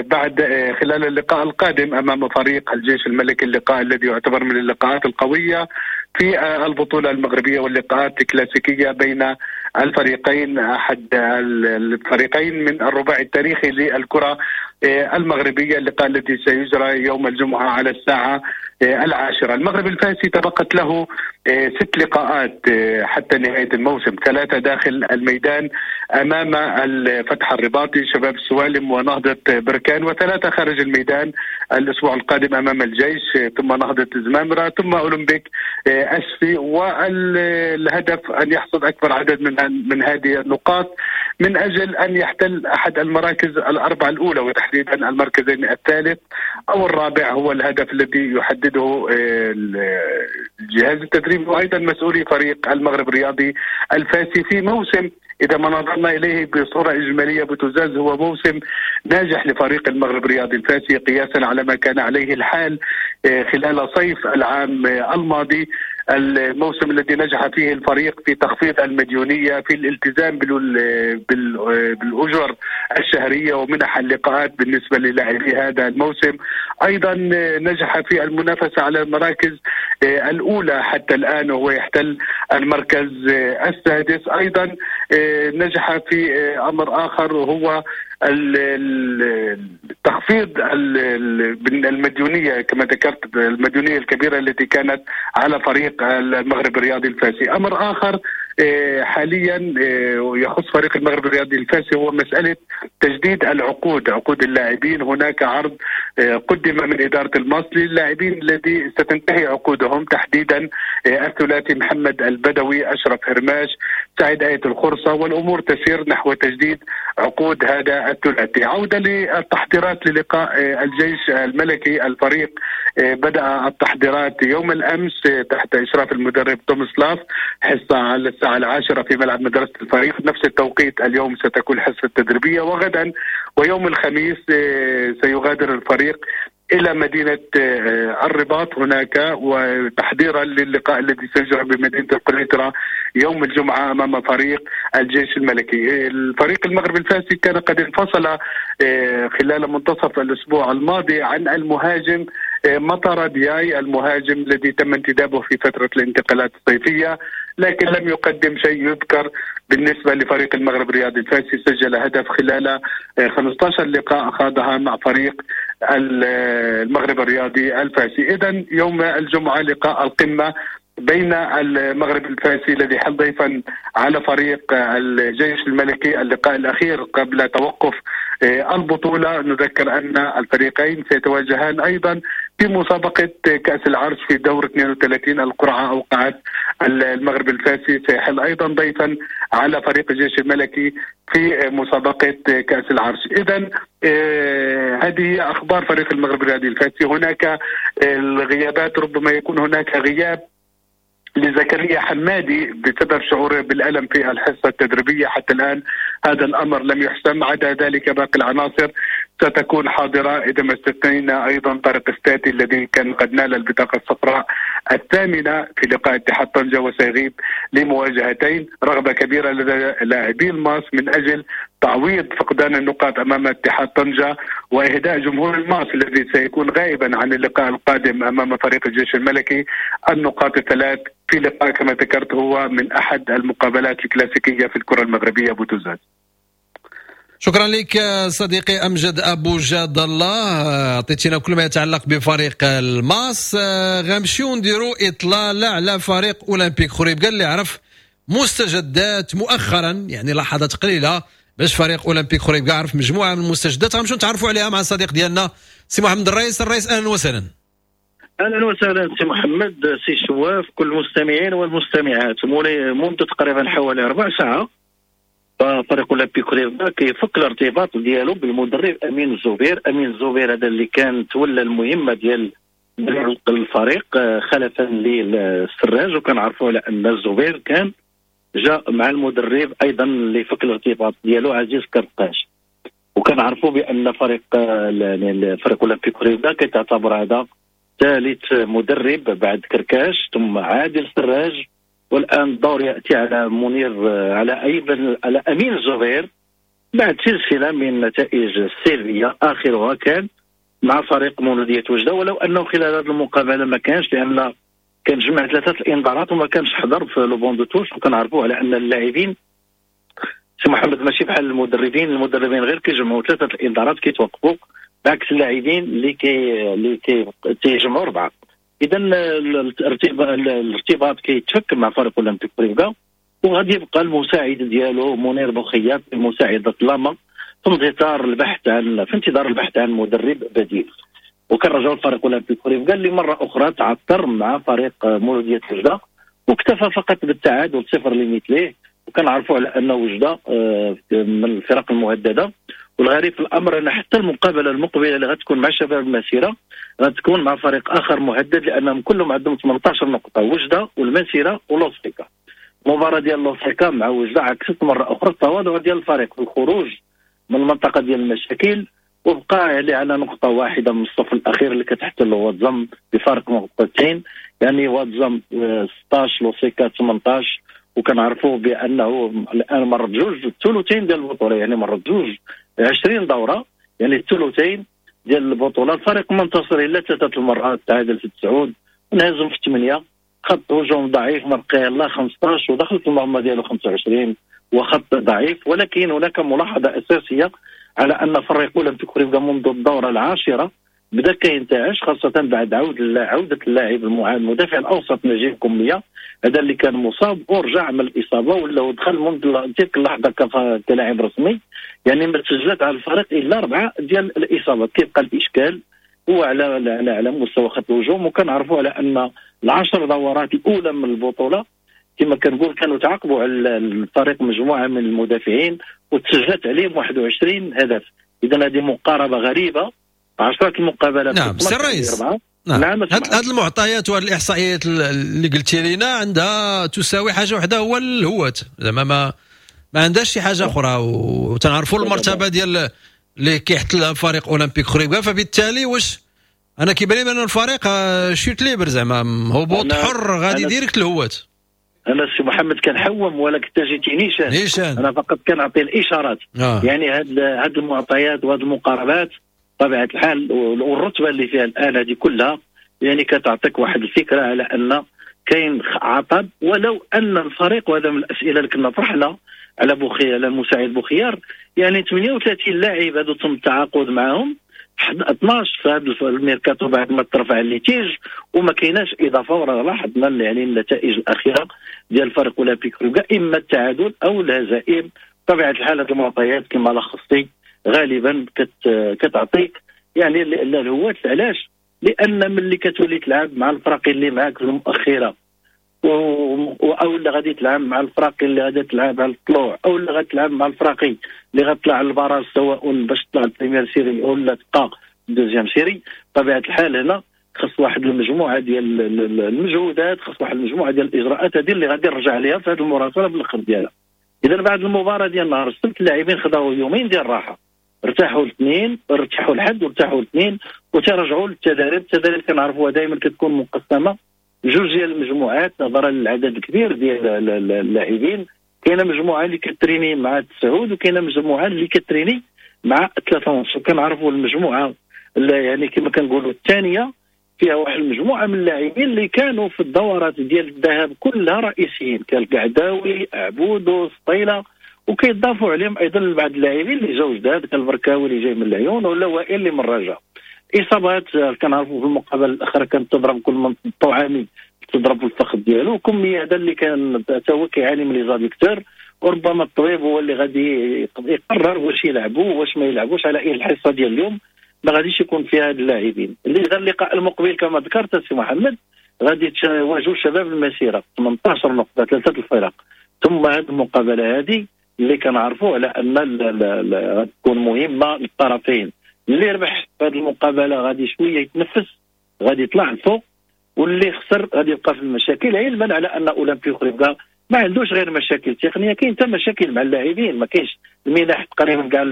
بعد خلال اللقاء القادم أمام فريق الجيش الملكي، اللقاء الذي يعتبر من اللقاءات القوية في البطولة المغربية واللقاءات الكلاسيكية بين الفريقين، أحد الفريقين من الرباعي التاريخي للكرة المغربية، اللقاء الذي سيجرى يوم الجمعة على الساعة 10. المغرب الفاسي تبقت له 6 لقاءات حتى نهاية الموسم، 3 داخل الميدان أمام الفتح الرباطي، شباب السوالم ونهضة بركان، و3 خارج الميدان الأسبوع القادم أمام الجيش ثم نهضة زمامرة ثم أولمبيك أسفي. والهدف أن يحصد أكبر عدد من هذه النقاط من أجل أن يحتل أحد المراكز 4 الأولى، وتحديدا المركزين الثالث أو الرابع هو الهدف الذي يحدده يؤكده الجهاز التدريبي وايضا مسؤولي فريق المغرب الرياضي الفاسي في موسم اذا ما نظرنا اليه بصورة اجمالية بتزاز هو موسم ناجح لفريق المغرب الرياضي الفاسي قياسا على ما كان عليه الحال خلال صيف العام الماضي، الموسم الذي نجح فيه الفريق في تخفيض المديونيه، في الالتزام بالاجر الشهرية ومنح اللقاءات بالنسبة للاعبي هذا الموسم. ايضا نجح في المنافسة على المراكز الاولى حتى الان وهو يحتل المركز السادس. ايضا نجح في امر اخر وهو تخفيض المديونيه كما ذكرت، المديونيه الكبيرة التي كانت على فريق المغرب الرياضي الفاسي. امر اخر حاليا يخص فريق المغرب الرياضي الفاسي هو مسالة تجديد العقود، عقود اللاعبين. هناك عرض قدم من ادارة الماص للاعبين الذي ستنتهي عقودهم، تحديدا الثلاثي محمد البدوي، اشرف هرماش، سعيد آية الخرصه، والامور تسير نحو تجديد عقود هذا الثلاثي. عوده للتحضيرات للقاء الجيش الملكي، الفريق بدأ التحضيرات يوم الامس تحت اشراف المدرب تومسلاف، حصة على الساعة 10 في ملعب مدرسه الفريق. نفس التوقيت اليوم ستكون حصة تدريبية، وغدا ويوم الخميس سيغادر الفريق الى مدينة الرباط هناك، وتحضيرا للقاء الذي سيجرى بمدينة القنيطره يوم الجمعة امام فريق الجيش الملكي. الفريق المغربي الفاسي كان قد انفصل خلال منتصف الاسبوع الماضي عن المهاجم مطر دياي، المهاجم الذي تم انتدابه في فترة الانتقالات الصيفية، لكن لم يقدم شيء يذكر بالنسبة لفريق المغرب الرياضي الفاسي. سجل هدف خلال 15 لقاء خاضها مع فريق المغرب الرياضي الفاسي. إذن يوم الجمعة لقاء القمة بين المغرب الفاسي الذي حل ضيفا على فريق الجيش الملكي، اللقاء الأخير قبل توقف البطولة. نذكر أن الفريقين سيتواجهان أيضا في مسابقة كأس العرش في دور 32. القرعة أوقعت المغرب الفاسي سيحل أيضا ضيفا على فريق الجيش الملكي في مسابقة كأس العرش. إذن هذه أخبار فريق المغرب الرياضي الفاسي. هناك الغيابات، ربما يكون هناك غياب لزكريا حمادي بسبب شعوره بالألم في الحصة التدريبية، حتى الآن هذا الأمر لم يحسم. عدا ذلك باقي العناصر ستكون حاضرة، إذا ما استثنينا أيضا طارق الستاتي الذي كان قد نال البطاقة الصفراء الثامنة في لقاء اتحاد طنجة وسيغيب لمواجهتين. رغبة كبيرة لدى لاعبي الماس من أجل تعويض فقدان النقاط أمام اتحاد طنجة وإهداء جمهور الماس الذي سيكون غائبا عن اللقاء القادم أمام فريق الجيش الملكي النقاط الثلاث في لقاء كما ذكرت هو من أحد المقابلات الكلاسيكية في الكرة المغربية بوتوزاز. شكرا لك صديقي أمجد أبو جاد الله، أعطيتنا كل ما يتعلق بفريق الماس. غنمشيو نديرو إطلالة على فريق أولمبيك خريبكة اللي عرف مستجدات مؤخرا، يعني لحظات قليلة باش فريق أولمبيك خريبكة عرف مجموعة من المستجدات غنمشيو نتعرفوا عليها مع الصديق ديالنا سي محمد الرئيس. الرئيس أهلا وسهلا. اهلا وسهلا سي محمد، سي شواف، كل المستمعين والمستمعات. منذ تقريبا حوالي ربع ساعة فريق اولمبيك خريبكة كيفك الارتباط ديالو بالمدرب امين الزبير. امين الزبير هذا اللي كان تولى المهمة ديال الفريق خلفا للسراج، وكنعرفوا على ان الزبير كان جاء مع المدرب ايضا اللي فك الارتباط ديالو عزيز كرقاش. وكنعرفوا بان فريق اولمبيك خريبكة كيتعتبر هذا ثالث مدرب بعد كركاش ثم عادل سراج، والان الدور ياتي على منير على ايضا على امين الزبير بعد سلسلة من النتائج السلبية اخرها كان مع فريق مولوديه وجده، ولو انه خلال هذه المقابلة ما كانش، لان كان جمع 3 الانذارات وما كانش حضر في le banc de touche. وكنعرفوا على ان اللاعبين سي محمد ماشي بحال المدربين، المدربين غير كيجمعوا 3 الانذارات كيتوقفوا، بعكس اللاعبين اللي كيجمعوا 4. اذا الارتباط كيتفك مع فريق اولمبيك خريبكة، وغادي يبقى المساعد ديالو منير بوخياط بمساعدة لاما في انتظار البحث عن مدرب بديل. وكنرجعوا لفريق اولمبيك خريبكة اللي مرة اخرى تعثر مع فريق مولوديه وجده واكتفى فقط بالتعادل 0-0. وكنعرفوا على ان وجده من الفرق المهدده، والغريب في الامر ان حتى المقابلة المقبلة اللي غتكون مع شباب المسيرة غتكون مع فريق اخر مهدد، لانهم كلهم عندهم 18 نقطة، وجده والمسيره ولوسيكا. المباراة ديال لوسيكا مع وجده عكست مرة اخرى التواضع ديال الفريق في الخروج من المنطقة ديال المشاكل، وبقى يعني على نقطة واحدة من الصف الاخير اللي كتحتل واتزم بفارق نقطتين، يعني واتزم 16 لوسيكا 18. وكنعرفوا بانه الان مرت جوج الثلثين ديال البطولة، يعني مرت جوج 20 دوره، يعني الثلثين ديال البطولة. الفريق منتصر الا 3 المرات، تعادل في 9 انهزم في 8، خط هجوم ضعيف ما بقى الا 15 ودخل في المرمى ديالو 25 وخط ضعيف. ولكن هناك ملاحظة اساسية على ان فريق اولمبيك خريبكة منذ الدورة العاشرة بدا كينتعش، خاصة بعد عوده اللاعب المدافع الاوسط نجيب كمية، هذا اللي كان مصاب ورجع من الاصابة ولا دخل منذ تلك اللحظة كلاعب رسمي، يعني ما تسجلت على الفريق الا 4 ديال الاصابات. كيبقى الاشكال هو على على على مستوى خط الهجوم، وكنعرفوا على ان 10 دورات الاولى من البطولة كما كنقول كانوا تعاقبوا على الفريق مجموعة من المدافعين وتسجلت عليهم 21 هدف. اذا هذه مقاربة غريبة، 10 المقابلات. نعم سي الرئيس، نعم. هاد المعطيات وهاد الاحصائيات اللي قلتي لنا عندها تساوي حاجة واحدة، هو الهوات، زعما ما عندهاش شي حاجة اخرى، وتنعرفوا المرتبة ديال اللي كيحتلها فريق اولمبيك خريبكة. فبالتالي واش انا كيبان لي بان الفريق chute libre، زعما هبوط حر غادي direct الهوات. انا سي محمد كنحوم ولكن جيتي نيشان، انا فقط كنعطي الاشارات. يعني هاد المعطيات وهاد المقاربات طبيعة الحال والرتبه اللي فيها الان هذه كلها يعني كتعطيك واحد الفكرة على ان كاين عطب، ولو ان الفريق، وهذا من الاسئلة اللي كنا طرحنا على بوخيار، على المساعد بوخيار، يعني 38 لاعب هذو تم التعاقد معهم، 12 في هذا الميركاتو بعد ما ترفع ال litige وما كايناش اضافه. وراه لاحظنا يعني النتائج الاخيرة ديال الفريق اولمبيك خريبكة اما التعادل او الهزائم. طبيعة الحال هذه المعطيات كما لخصتي غالبا كتعطيك يعني الهوات. علاش؟ لان ملي كتولي تلعب مع الفرق اللي معاك في المؤخرة او اللي غادي تلعب مع الفرق اللي غادي تلعب على الطلوع، او اللي غادي تلعب مع الفرق اللي غتطلع على ال barrage، سواء باش تطلع ال première série او لا تبقى deuxième série، طبيعة الحال هنا خص واحد المجموعة ديال المجهودات، خص واحد المجموعة ديال الاجراءات هذه اللي غادي نرجع عليها في هذه المراسله بالاخر ديالها. اذا بعد المباراة ديال نهار السبت اللاعبين خداو يومين ديال الراحة، ارتاحوا الاثنين، ارتاحوا الحد وارتاحوا الاثنين، وترجعوا للتدريب. التدريب كنعرفوها دائما كتكون مقسمة جوج ديال المجموعات نظرا للعدد الكبير ديال اللاعبين. كاينه مجموعة اللي كتريني مع 9 وكاينه مجموعة اللي كتريني مع 3:30. وكنعرفوا المجموعة اللي يعني كما كنقولوا الثانية فيها واحد المجموعة من اللاعبين اللي كانوا في الدورات ديال الذهاب كلها رئيسيين، كالقعداوي، عبودو، سطيله، وكيضافوا عليهم ايضا بعض اللاعبين اللي جاو جداد كالبركاوي اللي جاي من العيون ولا وائل اللي من الرجاء. اصابات كنعرفوا في المقابلة الاخرى كانت تضرب كل من الطعامي تضرب في الفخذ ديالو، كمية هذا اللي كان حتى هو كيعاني من les adducteurs، وربما الطبيب هو اللي غادي يقرر واش يلعبوا واش ما يلعبوش. على اي الحصة ديال اليوم ما غاديش يكون فيها هاد اللاعبين. اللي اللقاء المقبل كما ذكرت سي محمد غادي يواجهوا شباب المسيرة 18 نقطة، 3 الفرق. ثم هذه المقابلة هذه اللي كنعرفوا على ان غتكون مهمة للطرفين، اللي ربح في هذه المقابلة غادي شوية يتنفس، غادي يطلع لفوق، واللي خسر غادي يبقى في المشاكل. علما على ان اولمبي خريبكة ما عندوش غير مشاكل تقنية، كاين حتى مشاكل مع اللاعبين، ما كاينش المنح تقريبا كاع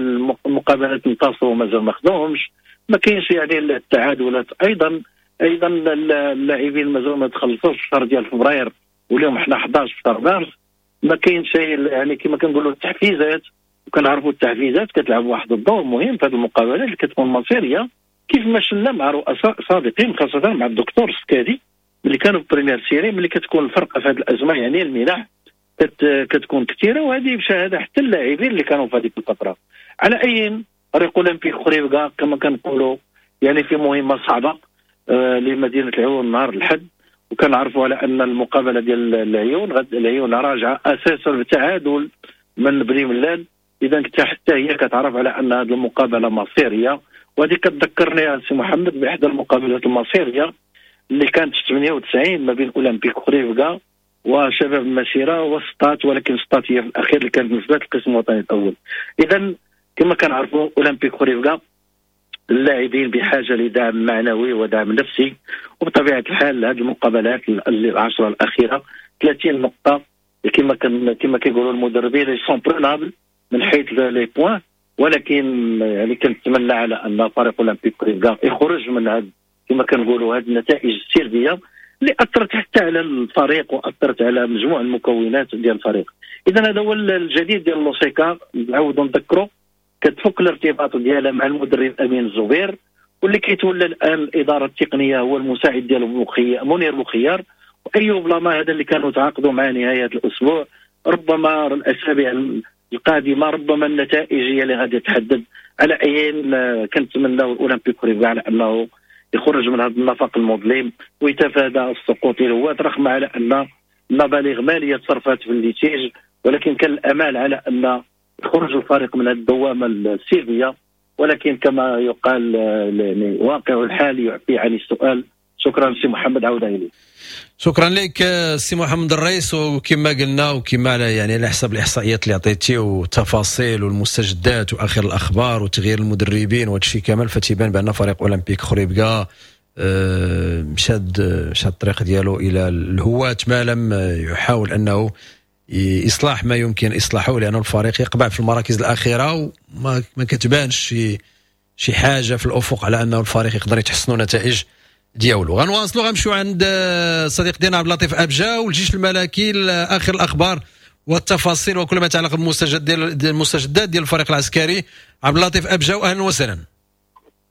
المقابلات انتصروا مازال ما خدوهمش، ما كاينش يعني التعادلات ايضا اللاعبين مازال ما تخلصوش في الشهر ديال فبراير واليوم حنا 11 في شهر مارس، ما كاين شيء يعني كما كنقولوا التحفيزات. وكنعرفوا التحفيزات كتلعب واحد الدور مهم في هذه المقابلات اللي كتكون مصيرية، كيف ما شفنا مع رؤساء سابقين خاصة مع الدكتور السكادي اللي كانوا في première série، ملي كتكون الفرقة في هذه الازمة يعني المنح كتكون كثيرة، وهذه بشهادة حتى اللاعبين اللي كانوا في هذيك الفترة. على اي فريق اولمبيك خريبكة كما كنقولوا يعني في مهمة صعبة لمدينة العيون نهار الحد، وكنعرفوا على ان المقابلة ديال العيون العيون راجعه اساسا بتعادل من بني ملال، اذا حتى هي كتعرف على ان هذه المقابلة مصيرية. وهذه كتذكرني يا سي محمد باحدى المقابلات المصيريه اللي كانت في 98 ما بين اولمبيك خريبكة وشباب المسيرة وسطات، ولكن سطات هي في الاخير اللي كانت نزلت القسم الوطني الاول. اذا كما كنعرفوا اولمبيك خريبكا اللاعبين بحاجة لدعم معنوي ودعم نفسي، وبطبيعة الحال هذه المقابلات العشرة الاخيرة 30 نقطة كما كيقولوا المدربين sont prenables من حيث les points، ولكن يعني كنتمنى على ان فريق اولمبيك خريبكا يخرج من هذا كما كنقولوا هذه النتائج السلبية اللي اثرت حتى على الفريق واثرت على مجموع المكونات ديال الفريق. اذا هذا هو الجديد ديال لوسيكا، نعاودوا نذكروا كتفك الارتباط ديالها مع المدرب امين الزبير، واللي كيتولى الان الادارة التقنية هو المساعد ديالو منير بوخيار وايوب لاما، هذا اللي كانوا تعاقدوا مع نهاية الاسبوع. ربما الاسابيع القادمة ربما النتائج هي اللي غادي تحدد. على اي كنتمناو الاولمبيك خريبكا على انه يخرج من هذا النفق المظلم ويتفادى السقوط الهواة، رغم على ان مبالغ ماليه تصرفات في ال litige، ولكن كان الامال على ان يخرج الفريق من الدوامة السلبية، ولكن كما يقال يعني واقع الحال يعفي عن السؤال. شكرا سي محمد، عوده اليك. شكرا لك سي محمد الرئيس. وكما قلنا وكما يعني على حسب الاحصائيات اللي عطيتي والتفاصيل والمستجدات واخر الاخبار وتغيير المدربين وهذا الشيء كامل، فتيبان بان فريق اولمبيك خريبكا شاد الطريق ديالو الى الهواة ما لم يحاول انه اصلاح ما يمكن اصلاحه، لان الفريق يقبع في المراكز الاخيرة وما ما كتبانش شي حاجة في الافق على انه الفريق يقدر يتحسنوا نتائج ديالو. غنواصلوا غنمشيو عند الصديق ديالنا عبد اللطيف ابجا والجيش الملكي، اخر الاخبار والتفاصيل وكل ما يتعلق بالمستجدات ديال الفريق العسكري. عبد اللطيف ابجا، اهلا وسهلا.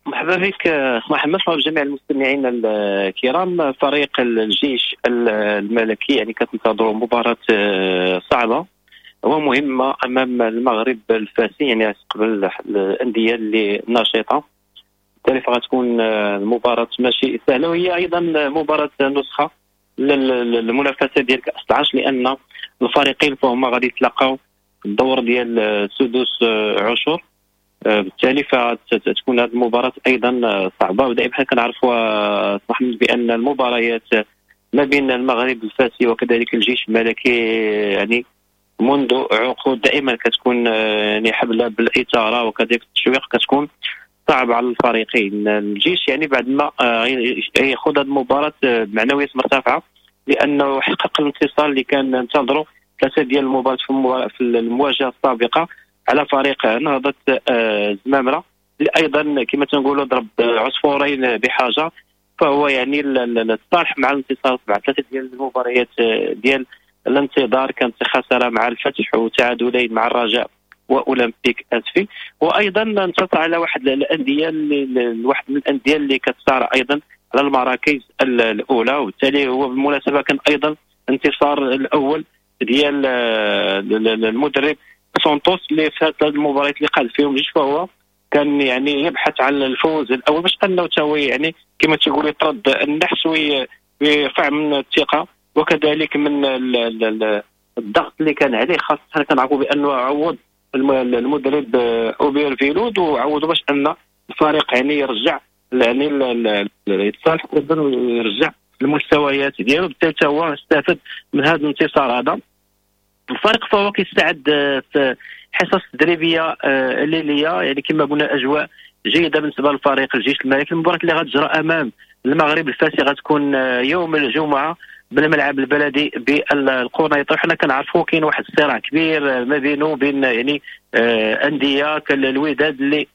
مرحبا بك محمد، مرحبا بجميع المستمعين الكرام. فريق الجيش الملكي يعني كتنتظروا مباراة صعبة ومهمة أمام المغرب الفاسي، يعني قبل الأندية اللي ناشطة، بالتالي فغتكون المباراة ماشي سهلة، وهي أيضا مباراة نسخة للمنافسة ديال كأس العرش، لأن الفريقين فهما غادي يتلاقاو في الدور ديال سدس عشر، بالتالي فتكون هذه المباراة أيضا صعبة. ودائما حنا كنعرفوا محمد بأن المباريات ما بين المغرب الفاسي وكذلك الجيش الملكي يعني منذ عقود دائما كتكون يعني حبلة بالإثارة وكذلك التشويق، كتكون صعب على الفريقين. الجيش يعني بعد ما ياخذ هذه المباراة بمعنويات مرتفعة، لأنه حقق الانتصار اللي كان انتظره ثلاثة ديال المباريات في المواجهة السابقة على فريق نهضة زمامرة، اللي أيضا كما تنقولوا ضرب عصفورين بحاجة، فهو يعني الصالح مع الانتصار بعد ثلاثة ديال المباريات ديال الانتظار، كانت خسارة مع الفتح وتعادلين مع الرجاء واولمبيك اسفي، وايضا انتصر على واحد الاندية اللي واحد من الاندية اللي كتصارع ايضا على المراكز الاولى، وبالتالي هو بالمناسبة كان ايضا انتصار الاول ديال المدرب سانتوس اللي في هذه المباريات اللي قاد فيهم جوج، فهو كان يعني يبحث عن الفوز الاول باش انه تا هو يعني كما تقول يطرد النحس ويرفع من الثقة وكذلك من الضغط اللي كان عليه، خاصة كنعرفوا بانه عوض المدرب اوبير فيلود وعوضوا باش ان الفريق يعني يرجع يعني يتصالح ويرجع المستويات ديالو، بالتالي هو استفاد من هذا الانتصار هذا. الفريق فهو كيستعد في حصص تدريبية ليليه، يعني كما قلنا اجواء جيدة بالنسبة للفريق الجيش الملكي. المباراة اللي غتجرى امام المغرب الفاسي غتكون يوم الجمعة بالملعب البلدي بالقنيطره. حنا كنعرفوا كاين واحد الصراع كبير ما بينه وبين يعني اندية كالوداد اللي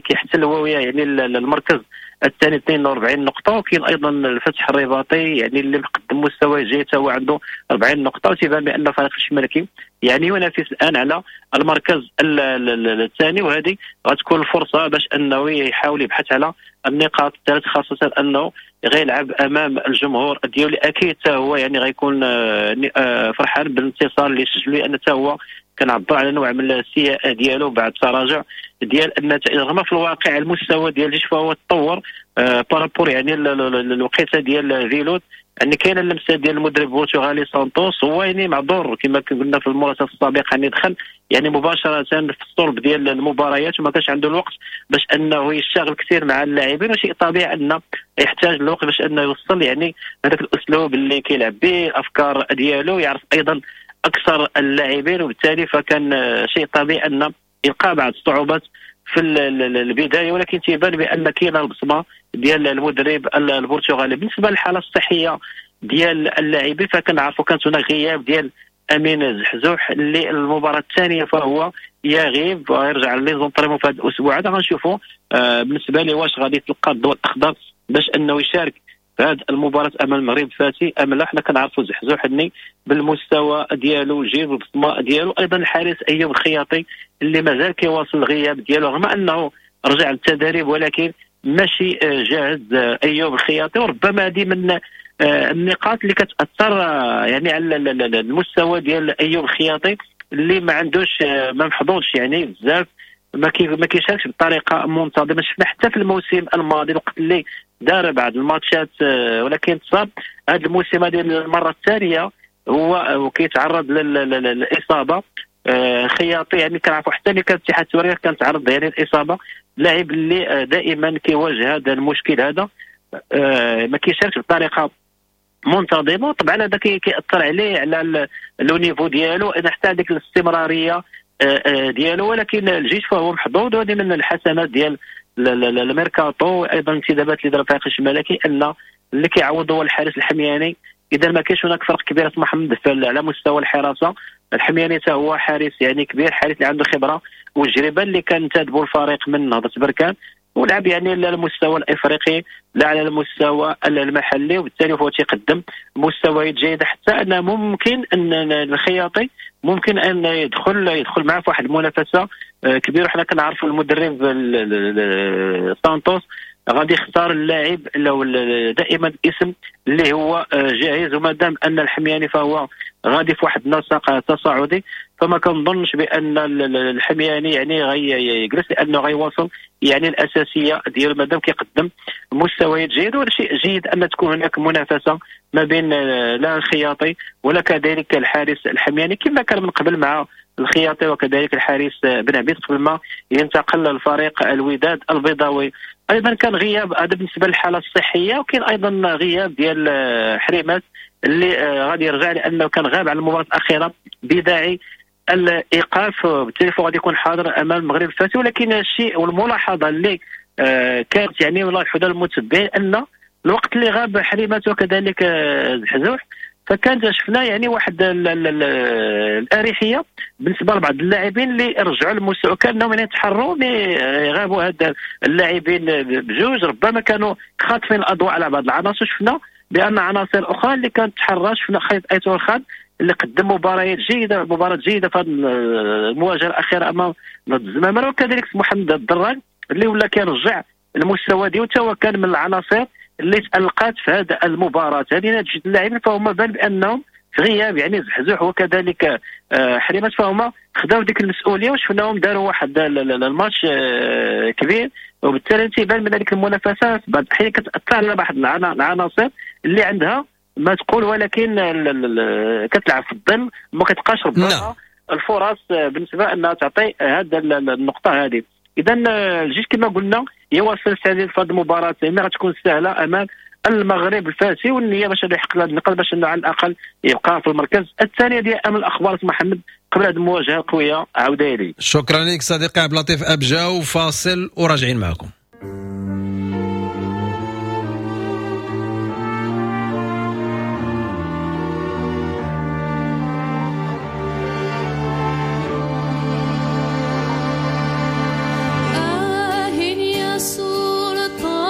كيحتل هو يعني المركز الثاني 42 نقطة، وكاين ايضا الفتح الرباطي يعني اللي مقدم مستوى جيد هو عنده 40 نقطة، وتيبان بان فريق الجيش الملكي يعني ينافس الان على المركز الثاني، وهذه غتكون الفرصة باش انه يحاول يبحث على النقاط الثلاث، خاصة انه غيلعب امام الجمهور ديالو، اكيد هو يعني غيكون فرحان بالانتصار اللي سجلو، لان حتى هو كنعبر على نوع من السياء ديالو بعد تراجع ديال النتائج، رغم في الواقع المستوى ديال الجيش فهو تطور par rapport يعني الوقيته ديال فيلود، يعني كاينه اللمسة ديال المدرب البرتغالي سانتوس، هو يعني معذور كما قلنا في المراسله السابقة يعني دخل يعني مباشرة في الصلب ديال المباريات وما كانش عنده الوقت باش انه يشتغل كثير مع اللاعبين، وشيء طبيعي انه يحتاج الوقت باش انه يوصل يعني هذاك الاسلوب اللي كيلعب به، الافكار ديالو، يعرف ايضا اكثر اللاعبين، وبالتالي فكان شيء طبيعي ان يلقى بعض الصعوبات في البداية، ولكن تيبان بان كاينه البصمة ديال المدرب البرتغالي. بالنسبة للحالة الصحية ديال اللاعبين فكنعرفوا كانت هناك غياب ديال امين زحزوح اللي المباراة الثانية فهو يغيب ويرجع les entraînements في هذا الاسبوع هذا. غنشوفوا بالنسبة لي واش غادي يتلقى الضوء الاخضر باش انه يشارك في هذه المباراة امام المغرب الفاسي ام لا. حنا كنعرفوا زحزوح اني بالمستوى ديالو جيب البصمة ديالو. ايضا الحارس ايوب الخياطي اللي مازال كيواصل الغياب ديالو رغم انه رجع للتدريب ولكن ماشي جاهز ايوب الخياطي، وربما هذه من النقاط اللي كتاثر يعني على المستوى ديال ايوب الخياطي اللي ما عندوش ما محظوظش يعني بزاف، ما كيشاركش بطريقة منتظمة. شفنا حتى في الموسم الماضي الوقت اللي دار بعض الماتشات ولكن تصاب. هذا الموسم هذه المرة الثانية هو كيتعرض للاصابة خياطي، يعني كنعرفوا حتى اللي كان اتحاد سوريا كان تعرض يعني الاصابة. لاعب اللي دائما كيواجه هذا المشكل هذا، ما كيشاركش بطريقة منتظمة، وطبعا هذا كيأثر عليه على le niveau ديالو، اذا حتى هذيك الاستمرارية ديالو. ولكن الجيش فهو محظوظ، وهذه من الحسنات ديال الميركاتو وايضا الانتدابات اللي دار الفريق الملكي ان اللي كيعوض هو الحارس الحمياني. اذا ما كاينش هناك فرق كبير محمد على مستوى الحراسة. الحمياني حتى هو حارس يعني كبير، حارس اللي عنده خبره وتجربه، اللي كان انتدبوا الفريق من نهضة بركان ولعب يعني لا على المستوى الافريقي لا على المستوى المحلي، وبالتالي هو تيقدم مستويات جيدة، حتى ان ممكن ان الخياطي ممكن ان يدخل معه في واحد المنافسة كبيرة. حنا كنعرفوا المدرب سانتوس غادي يختار اللاعب لو دائما الاسم اللي هو جاهز، وما دام ان الحمياني فهو غادي في واحد النسق تصاعدي، فما كنظنش بان الحمياني يعني غيجلس، لانه غيواصل يعني الاساسية ديالو ما دام كيقدم مستويات جيدة. وهذا شيء جيد ان تكون هناك منافسه ما بين لا الخياطي ولا كذلك الحارس الحمياني، كما كان من قبل مع الخياطي وكذلك الحارس بن عبيد قبل ما ينتقل للفريق الوداد البيضاوي. ايضا كان غياب هذا بالنسبة للحالة الصحية، وكاين ايضا غياب ديال حريمات اللي غادي يرجع لانه كان غاب على المباراة الاخيرة بداعي الايقاف، وبالتالي غادي يكون حاضر امام المغرب الفاسي. ولكن الشيء والملاحظه اللي كانت يعني والله الحدود المتبعين ان الوقت اللي غاب حريمات وكذلك زحزوح فكانت شفنا يعني واحد الاريحيه بالنسبة لبعض اللاعبين اللي رجعوا للمستوى، كانهم يعني تحروا غابوا هاد اللاعبين بجوج، ربما كانوا خاطفين الاضواء على بعض العناصر. شفنا بان عناصر اخرى اللي كانت تحرى، شفنا خيط ايتور خان اللي قدم مباريات جيدة، مباراة جيدة في هذه المواجهة الاخيرة امام الزمامره، وكذلك محمد الدراج اللي ولا كيرجع المستوى ديالو، حتى هو كان من العناصر اللي تألقات في هذه المباراة. هذه نتيجة اللاعبين فهما بان بانهم في غياب يعني زحزوح وكذلك حريمات، فهما خداو ديك المسؤولية وشفناهم داروا واحد الماتش كبير، وبالتالي تيبان من هذيك المنافسات بعض الاحيان كتاثر على بعض العناصر اللي عندها ما تقول، ولكن كتلعب في الظل ما كتلقاش ربما الفرص بالنسبة انها تعطي هذه النقطة هذه. اذا الجيش كما قلنا يواصل التعديل في هذه المباراة، ما غتكون سهلة امام المغرب الفاسي، والنية باش يحقق هذا النقاط باش انه على الاقل يبقى في المركز الثاني. ديال امام الاخبار محمد قبل هذه المواجهة القوية. عوده لي. شكرا لك صديقي عبد اللطيف ابجاو. فاصل وراجعين معكم. يا سلطاني.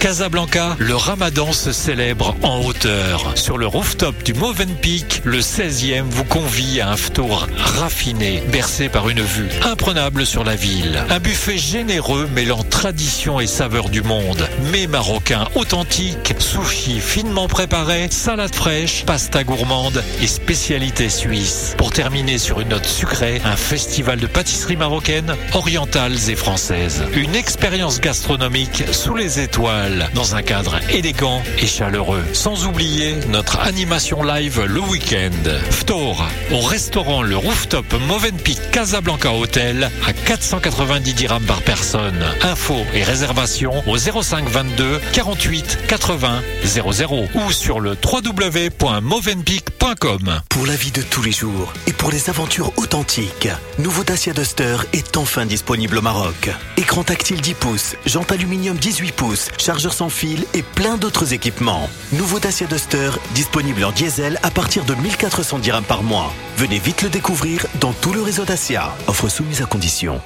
Casablanca, le ramadan se célèbre en hauteur. Sur le rooftop du Movenpick, le 16e vous convie à un ftour raffiné, bercé par une vue imprenable sur la ville. Un buffet généreux mêlant tradition et saveur du monde. Mets marocains authentiques, sushis finement préparés, salade fraîche, pasta gourmande et spécialités suisses. Pour terminer sur une note sucrée, un festival de pâtisseries marocaines, orientales et françaises. Une expérience gastronomique sous les étoiles, dans un cadre élégant et chaleureux. Sans oublier notre animation live le week-end. Ftour, au restaurant Le Rooftop Movenpick Casablanca Hotel à 490 dirhams par personne. Infos et réservations au 05 22 48 80 00 ou sur le www.movenpick.com. Pour la vie de tous les jours et pour les aventures authentiques, nouveau Dacia Duster est enfin disponible au Maroc. Écran tactile 10 pouces, jante aluminium 18 pouces, chargeur sans fil et plein d'autres équipements. Nouveau Dacia Duster, disponible en diesel à partir de 1400 dirhams par mois. Venez vite le découvrir dans tout le réseau Dacia. Offre soumise à condition.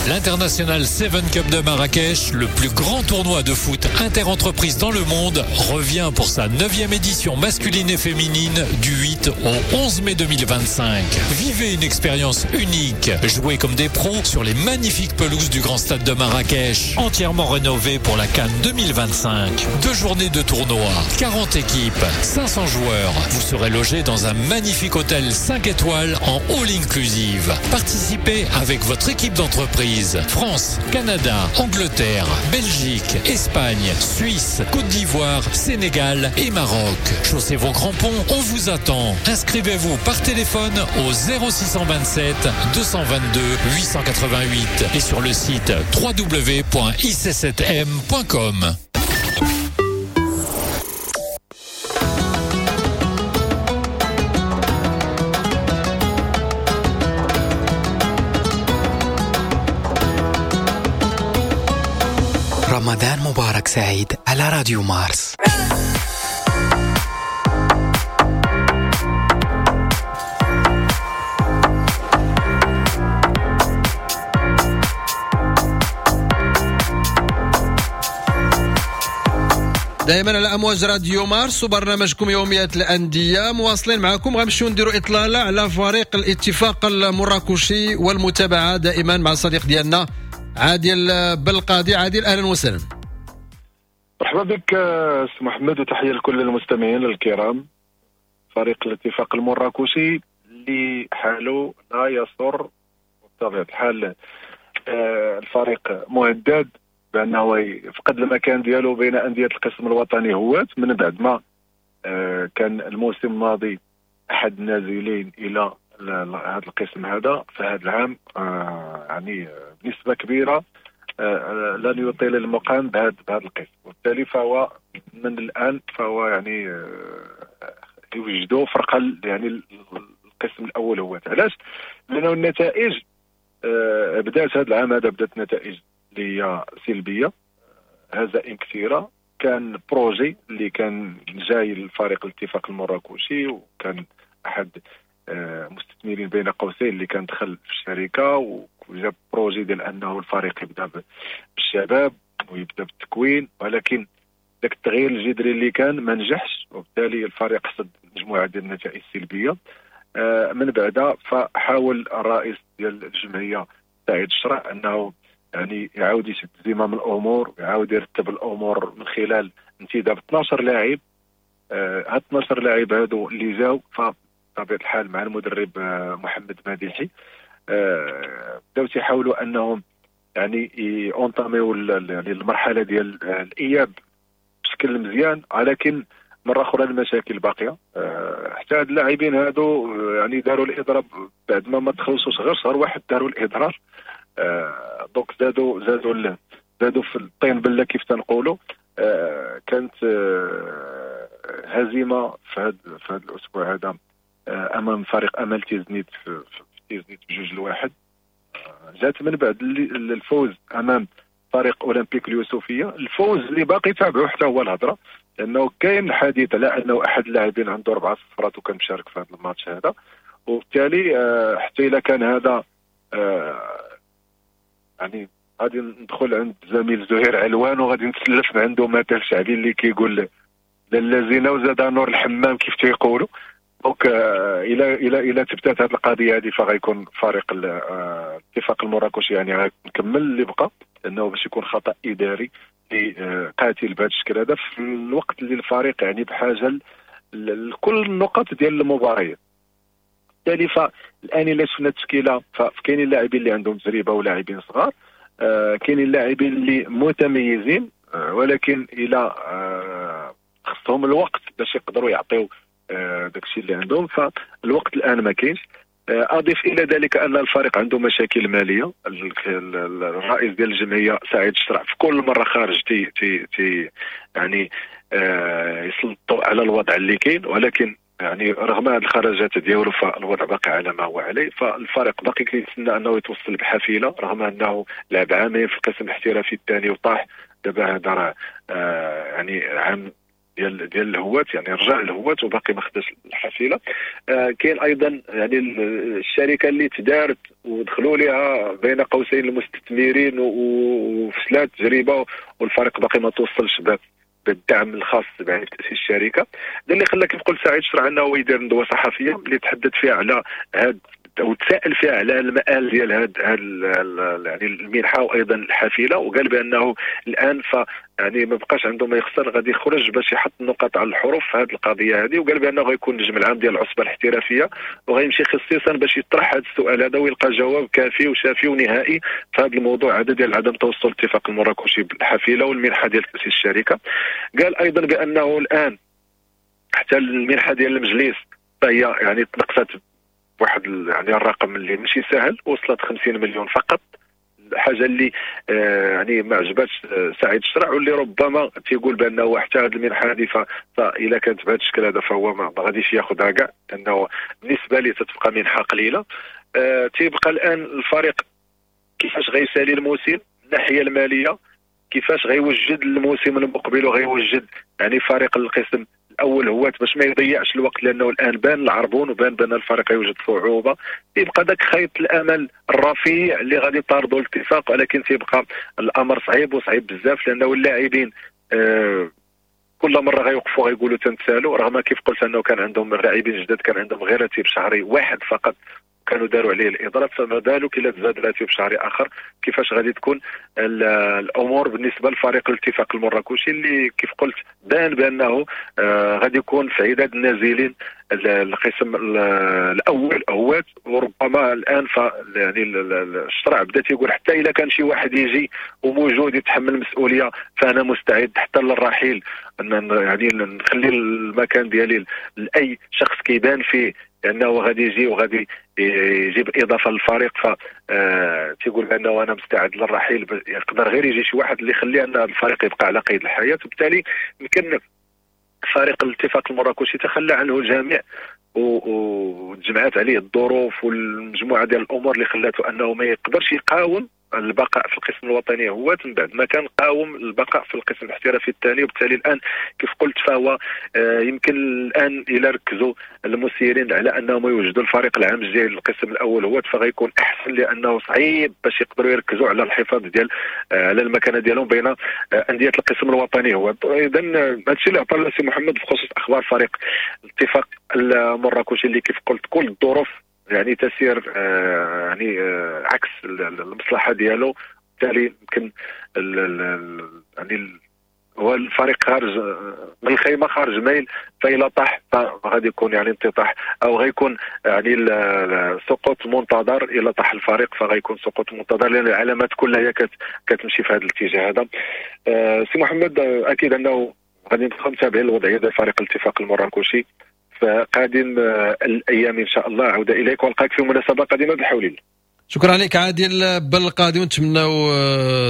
L'International 7 Cup de Marrakech, le plus grand tournoi de foot interentreprise dans le monde, revient pour sa 9e édition masculine et féminine du 8 au 11 mai 2025. Vivez une expérience unique. Jouez comme des pros sur les magnifiques pelouses du Grand Stade de Marrakech, entièrement rénové pour la CAN 2025. 2 journées de tournoi, 40 équipes, 500 joueurs. Vous serez logé dans un magnifique hôtel 5 étoiles en all inclusive. Participez avec votre équipe d'entreprise. France, Canada, Angleterre, Belgique, Espagne, Suisse, Côte d'Ivoire, Sénégal et Maroc. Chaussez vos crampons, on vous attend. Inscrivez-vous par téléphone au 0627 222 888 et sur le site www.ic7m.com. رمضان مبارك سعيد على راديو مارس. دائما على امواج راديو مارس وبرنامجكم يوميات الاندية، مواصلين معكم. غنمشيو نديروا اطلالة على فريق الاتفاق المراكشي والمتابعة دائما مع الصديق ديالنا عادل بالقاضي. عادل، اهلا وسهلا. مرحبا بك سي محمد، وتحية لكل المستمعين الكرام. فريق الاتفاق المراكشي اللي حاله لا يسر، بطبيعة الحال الفريق مهدد بانه يفقد المكان ديالو بين اندية القسم الوطني هوات، من بعد ما كان الموسم الماضي احد النازلين الى هذا القسم هذا. فهذا العام يعني بنسبة كبيرة لن يطيل المقام بهذا القسم، وبالتالي فهو من الان فهو يعني يوجدوا فرقه يعني القسم الاول هو. علاش؟ لانه النتائج بدات هذا العام هذا، بدات نتائج اللي هي سلبية، هزائم كثيرة. كان projet اللي كان جاي للفريق الاتفاق المراكشي، وكان احد مستثمرين بين قوسين اللي كان دخل في الشركة وجاب projet ديال انه الفريق يبدا بالشباب ويبدا بالتكوين، ولكن ذاك التغيير الجذري اللي كان ما نجحش، وبالتالي الفريق حصد مجموعة ديال النتائج السلبية. من بعدها فحاول الرئيس ديال الجمعية سعيد الشرع انه يعني يعاود يشد زمام الامور ويعاود يرتب الامور من خلال انتداب 12 لاعب. هاد 12 لاعب هادو اللي جاو بطبيعة الحال مع المدرب محمد مديحي بداو تيحاولوا انهم يعني اونطاميو يعني المرحلة ديال الاياب بشكل مزيان، ولكن مرة اخرى المشاكل باقية. حتى هاد اللاعبين هادو يعني داروا الاضراب بعد ما تخلصوش غير شهر واحد داروا الاضراب، donc زادوا زادوا زادوا في الطين بله كيف تنقولوا. كانت هزيمة في هذا الاسبوع هذا امام فريق امل تيزنيت في تيزنيت ب2-1. جات من بعد الفوز امام فريق اولمبيك اليوسفيه، الفوز اللي باقي تابعه حتى هو الهضرة، لانه كاين حديث على انه احد اللاعبين عنده 4 صفرات وكان مشارك في هذا الماتش هذا، وبالتالي حتى اذا كان هذا يعني غادي ندخل عند الزميل زهير علوان وغادي نتسلف من عنده مثل شعبي اللي كيقول لالا زينة وزاد نور الحمام كيف تيقولوا. donc الى تبتات هذه القضية هذه فغيكون فريق الاتفاق المراكشي يعني غيكمل اللي بقى، لانه باش يكون خطا اداري اللي قاتل بهذا الشكل هذا في الوقت اللي الفريق يعني بحاجة لكل النقط ديال المباريات. بالتالي فالان الا شفنا التشكيلة فكاينين اللاعبين اللي عندهم تجربه ولاعبين صغار، كاينين اللاعبين اللي متميزين، ولكن الى خصهم الوقت باش يقدروا يعطيو داكشي اللي عندهم، فالوقت الان ما كاينش. اضيف الى ذلك ان الفريق عنده مشاكل ماليه. الرئيس ديال الجمعية سعيد الشرع في كل مرة خارج تي تي تي يعني يسلطوا على الوضع اللي كاين، ولكن يعني رغم هذه الخرجات ديالو فالوضع باقي على ما هو عليه. فالفريق باقي كيتسنى انه يتوصل بحفيله، رغم انه لعب عامين في القسم الاحترافي الثاني وطاح. دابا هذا راه يعني عام ديال الهوات، يعني رجع الهوات وباقي ما خداش الحفيله. كاين ايضا يعني الشركة اللي تدارت ودخلوا لها بين قوسين المستثمرين وفشلات التجربة، والفريق باقي ما توصلش بالدعم الخاص يعني بتاسيس الشركة. هذا اللي خلى كيف قلت سعيد شرع انه يدير ندوه صحفية اللي تحدث فيها على هاد وتساءل فيها على المآل ديال هاد يعني المنحة وايضا الحافلة، وقال بانه الان ف يعني ما بقاش عنده ما يخسر، غادي يخرج باش يحط النقاط على الحروف في هذه القضية هذه. وقال بانه غيكون النجم العام ديال العصبة الاحترافية وغيمشي خصيصا باش يطرح هذا السؤال هذا ويلقى جواب كافي وشافي ونهائي في هذا الموضوع هذا ديال عدم توصل الاتفاق المراكشي بالحافله والمنحه ديال تاسيس الشركة. قال ايضا بانه الان حتى المنحة ديال المجلس فهي يعني تنقصت واحد يعني الرقم اللي ماشي سهل، وصلت 50 مليون فقط، حاجة اللي يعني ما عجباتش سعيد الشرع، واللي ربما تيقول بانه حتى هذه المنحة هذه فاذا كانت بهذا الشكل هذا فهو ما غاديش ياخذها كاع، لانه بالنسبة لي تتبقى منحه قليله. تيبقى الان الفريق كيفاش غيسالي الموسم من الناحية المالية، كيفاش غيوجد الموسم المقبل وغيوجد يعني فريق القسم الاول هو باش ما يضيعش الوقت، لانه الان بان العربون وبان بان الفريق يوجد صعوبة. يبقى ذاك خيط الامل الرفيع اللي غادي يطاردوا الاتفاق، ولكن تيبقى الامر صعيب وصعيب بزاف، لانه اللاعبين كل مرة غيوقفوا غيقولوا تنتسالوا، رغم كيف قلت انه كان عندهم اللاعبين جداد كان عندهم غير راتب شهري واحد فقط كانوا داروا عليه الاضراب، فما بالك الا تزاد راتب شهري اخر كيفاش غادي تكون الامور بالنسبة لفريق الاتفاق المراكشي اللي كيف قلت بان بانه غادي يكون في عداد النازلين القسم الاول هوات. وربما الان يعني الشرع بدا تيقول حتى الا كان شي واحد يجي وموجود يتحمل المسؤولية فانا مستعد حتى للرحيل، ان يعني نخلي المكان ديالي لاي شخص كيبان فيه لانه غادي يجي وغادي يجيب اضافه للفريق، ف تيقول بانه انا مستعد للرحيل، يقدر غير يجي شي واحد اللي يخلي ان الفريق يبقى على قيد الحياة. وبالتالي يمكن فريق الاتفاق المراكشي تخلى عنه الجميع وتجمعات عليه الظروف والمجموعة ديال الامور اللي خلاته انه ما يقدرش يقاوم البقاء في القسم الوطني هو من بعد ما كان قاوم البقاء في القسم الاحترافي الثاني. وبالتالي الان كيف قلت فهو يمكن الان الى ركزوا المسيرين على انهم يوجدوا الفريق العام الجاي للقسم الاول هو فغيكون احسن، لانه صعيب باش يقدروا يركزوا على الحفاظ ديال على المكانة ديالهم بين اندية القسم الوطني هو. اذا هادشي اللي عطى سي محمد بخصوص اخبار فريق الاتفاق المراكشي اللي كيف قلت كل الظروف يعني تسير يعني عكس المصلحة ديالو. بالتالي يمكن يعني هو الفريق خارج من الخيمة خارج ميل، فإلا طاح فغادي يكون يعني انططاح او غيكون يعني سقوط منتظر. الا طاح الفريق فغيكون سقوط منتظر، لان العلامات كلها هي كتمشي في هذا الاتجاه هذا. سي محمد اكيد انه غادي نبقاو متابعين الوضعية ديال فريق الاتفاق المراكشي فقادم الايام ان شاء الله. عوده اليك والقاك في مناسبة قادمة بحول الله. شكرا لك عادل بالقاضي، ونتمناو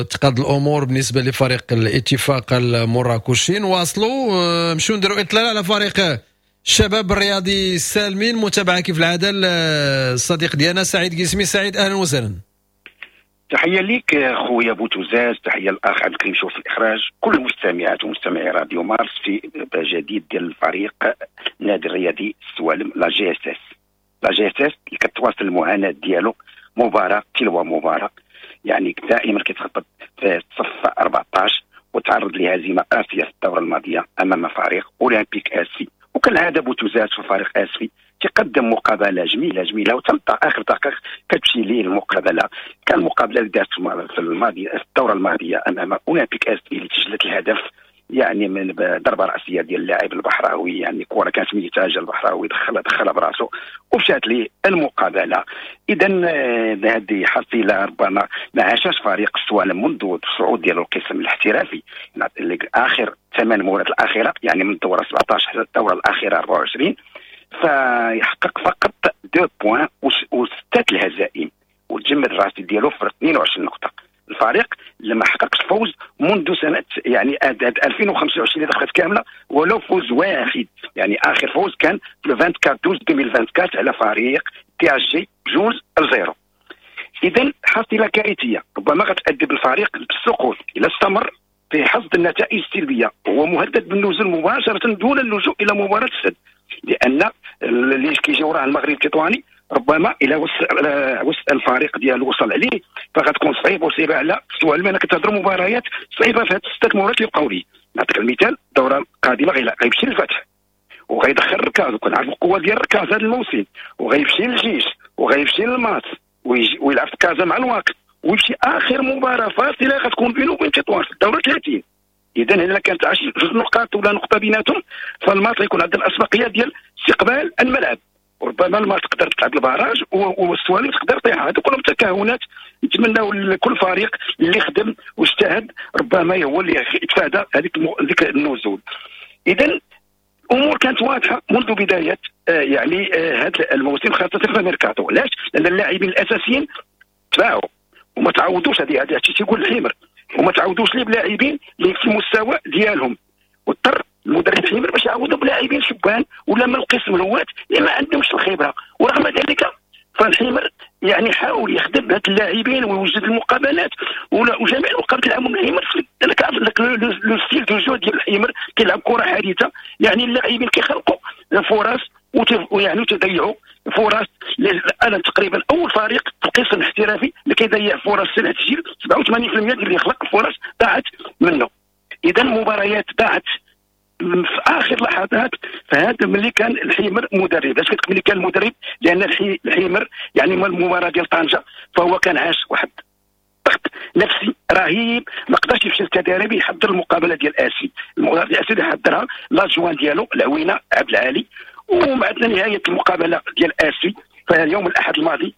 تقاد الامور بالنسبة لفريق الاتفاق المراكشي. نواصلوا نمشيو نديروا اطلالة على فريق الشباب الرياضي السالمين، متابعه كيف العادة الصديق ديالنا سعيد قسمي. سعيد اهلا وسهلا. تحية ليك خويا بوتوزاز، تحية للاخ عبد الكريم شوف في الاخراج، كل المستمعات ومستمعي راديو مارس في جديد ديال الفريق النادي الرياضي السوالم لا جي اس اس. لا جي اس اس اللي كتواصل المعاناة ديالو مباراة تلو مباراة. يعني دائما كيتخبط في الصف 14، وتعرض لهزيمه قاسية في الدورة الماضية امام فريق اولمبيك اسفي. وكالعادة بوتوزات في فريق اسفي تقدم مقابله جميلة جميلة، وتلقى اخر دقائق كتمشي ليه المقابلة. كان المقابلة اللي دارت في الماضي في الدورة الماضية امام اولمبيك اسفي اللي سجلت الهدف يعني من ضربه راسية ديال اللاعب البحراوي، يعني كره كانت ميته جا البحراوي دخلها براسه ومشات ليه المقابلة. اذا هذه حصيله ربما ما عاشش فريق السوالم منذ الصعود ديال القسم الاحترافي اخر 8 مباريات الاخيرة، يعني من الدورة 17 حتى الدورة الاخيرة 24، فيحقق فقط 2 points وستة الهزائم وتجمد الرصيد ديالو في 22 نقطة. الفريق اللي ما حققش فوز منذ سنة يعني 2025 اللي دخلت كاملة ولو فوز واحد، يعني اخر فوز كان في 24/12/2024 على فريق THJ 2-0. اذا حصيله كارثية ربما غتؤدي بالفريق بالسقوط الى استمر في حصد النتائج السلبية، وهو مهدد بالنزول مباشرة دون اللجوء الى مباراة السد، لان اللي كيجي وراه المغرب التطواني ربما الى وصل الفريق ديالو وصل عليه فغتكون صعيبة وصعيبه على السوالم. انا كتهضروا مباريات صعيبة في هاد الستة مباريات اللي بقاو ليه. نعطيك المثال، الدورة القادمة غيمشي للفتح وغيدخل الركاز، وكنعرف القوة ديال الركاز هذا الموسم، وغيمشي للجيش وغيمشي للماس ويلعب في كازا مع الواقع، ويمشي اخر مباراة فاصلة غتكون بينه وبين تطوان في الدورة 30. اذا الا كانت 2 نقاط ولا نقطة بيناتهم فالماس غيكون عندها الاسبقيه ديال استقبال الملعب، وربما الماس تقدر تلعب ال barrage والسوالم تقدر طيحها. هذو كلهم تكهنات نتمناو لكل فريق اللي خدم واجتهد ربما هو اللي يتفادى هذيك النزول. اذا الامور كانت واضحة منذ بداية يعني هذا الموسم، خاصة في الميركاتو. علاش؟ لان اللاعبين الاساسيين تباعوا وما تعوضوش، هذه الشيء تيقول الحمر، وما تعوضوش ليه بلاعبين اللي في المستوى ديالهم، واضطر المدرب الحمر باش يعوضوا بلاعبين شبان ولا من القسم الهواة اللي ما عندهمش الخبرة. ورغم ذلك فالحمر يعني حاول يخدم بهاد اللاعبين ويوجد المقابلات وجميع المقابلات اللي لعبهم الحمر. انا كنعرف le style de jeu ديال الحمر، كيلعب كره حديثه، يعني اللاعبين كيخلقوا فرص ويعني تضيعوا فرص. انا تقريبا اول فريق في القسم الاحترافي اللي كيضيع فرص سنة التسجيل، 87% اللي يخلق فرص ضاعت منه. اذا المباريات ضاعت في اخر لحظات. فهذا ملي كان الحمر مدرب، علاش كتقول ملي كان المدرب؟ لان الحمر يعني من المباراة ديال طنجه فهو كان عاش واحد ضغط نفسي رهيب، ما قدرش يمشي للتدريب يحضر المقابلة ديال اسي، المقابلة ديال اسي اللي حضرها l'adjoint ديالو العوينة عبد العالي. ومع نهاية المقابلة ديال اسي فاليوم الاحد الماضي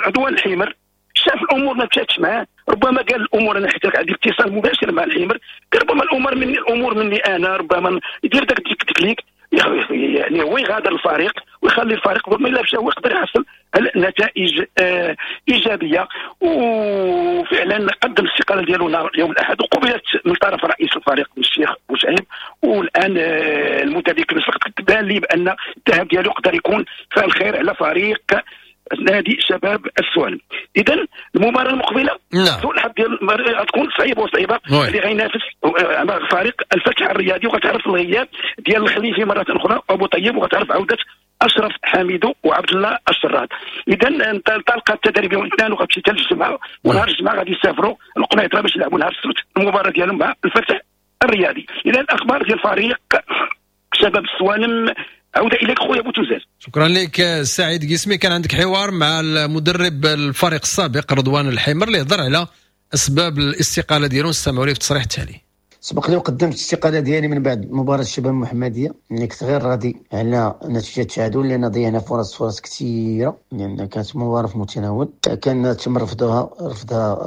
رضوان الحمر شاف الامور ما مشاتش معاه، ربما قال الامور انا حيت عندي اتصال مباشر مع الحمر، قال ربما الامور مني انا، ربما يدير داك التكليك يعني هو يغادر الفريق ويخلي الفريق ربما الا مشى هو يقدر يحصل نتائج ايجابية. وفعلا قدم الاستقالة ديالو يوم الاحد وقبلت من طرف رئيس الفريق الشيخ بوشعيب. والان المدرب تبان لي بان الذهاب ديالو يقدر يكون فعل خير على فريق نادي شباب السوالم. اذا المباراة المقبلة سوء الحظ ديال غتكون صعيبة وصعيبه، اللي غينافس فريق الفتح الرياضي، وغتعرف الغياب ديال الخليفي مرة اخرى ابو طيب، وغتعرف عوده اشرف حميدو وعبد الله الشراد. اذا انطلقت التدريب يوم الاثنين وغتمشي حتى الجمعة، ونهار الجمعة غادي يسافروا القنيطره باش يلعبوا نهار السبت المباراة ديالهم مع الفتح الرياضي. اذا الاخبار ديال فريق شباب السوالم. عودة إليك خويا بوتوزاز. شكرا لك سعيد قسمي. كان عندك حوار مع المدرب الفريق السابق رضوان الحمر اللي هضر على أسباب الاستقالة ديالو، نستمعوا ليه في التصريح التالي. سبق لي وقدمت الاستقالة ديالي من بعد مباراة الشباب المحمدية، اللي كنت غير راضي على نتيجة التعادل، لان ضيعنا فرص كثيرة، لان يعني كانت مباراة في المتناول، كان تم رفضها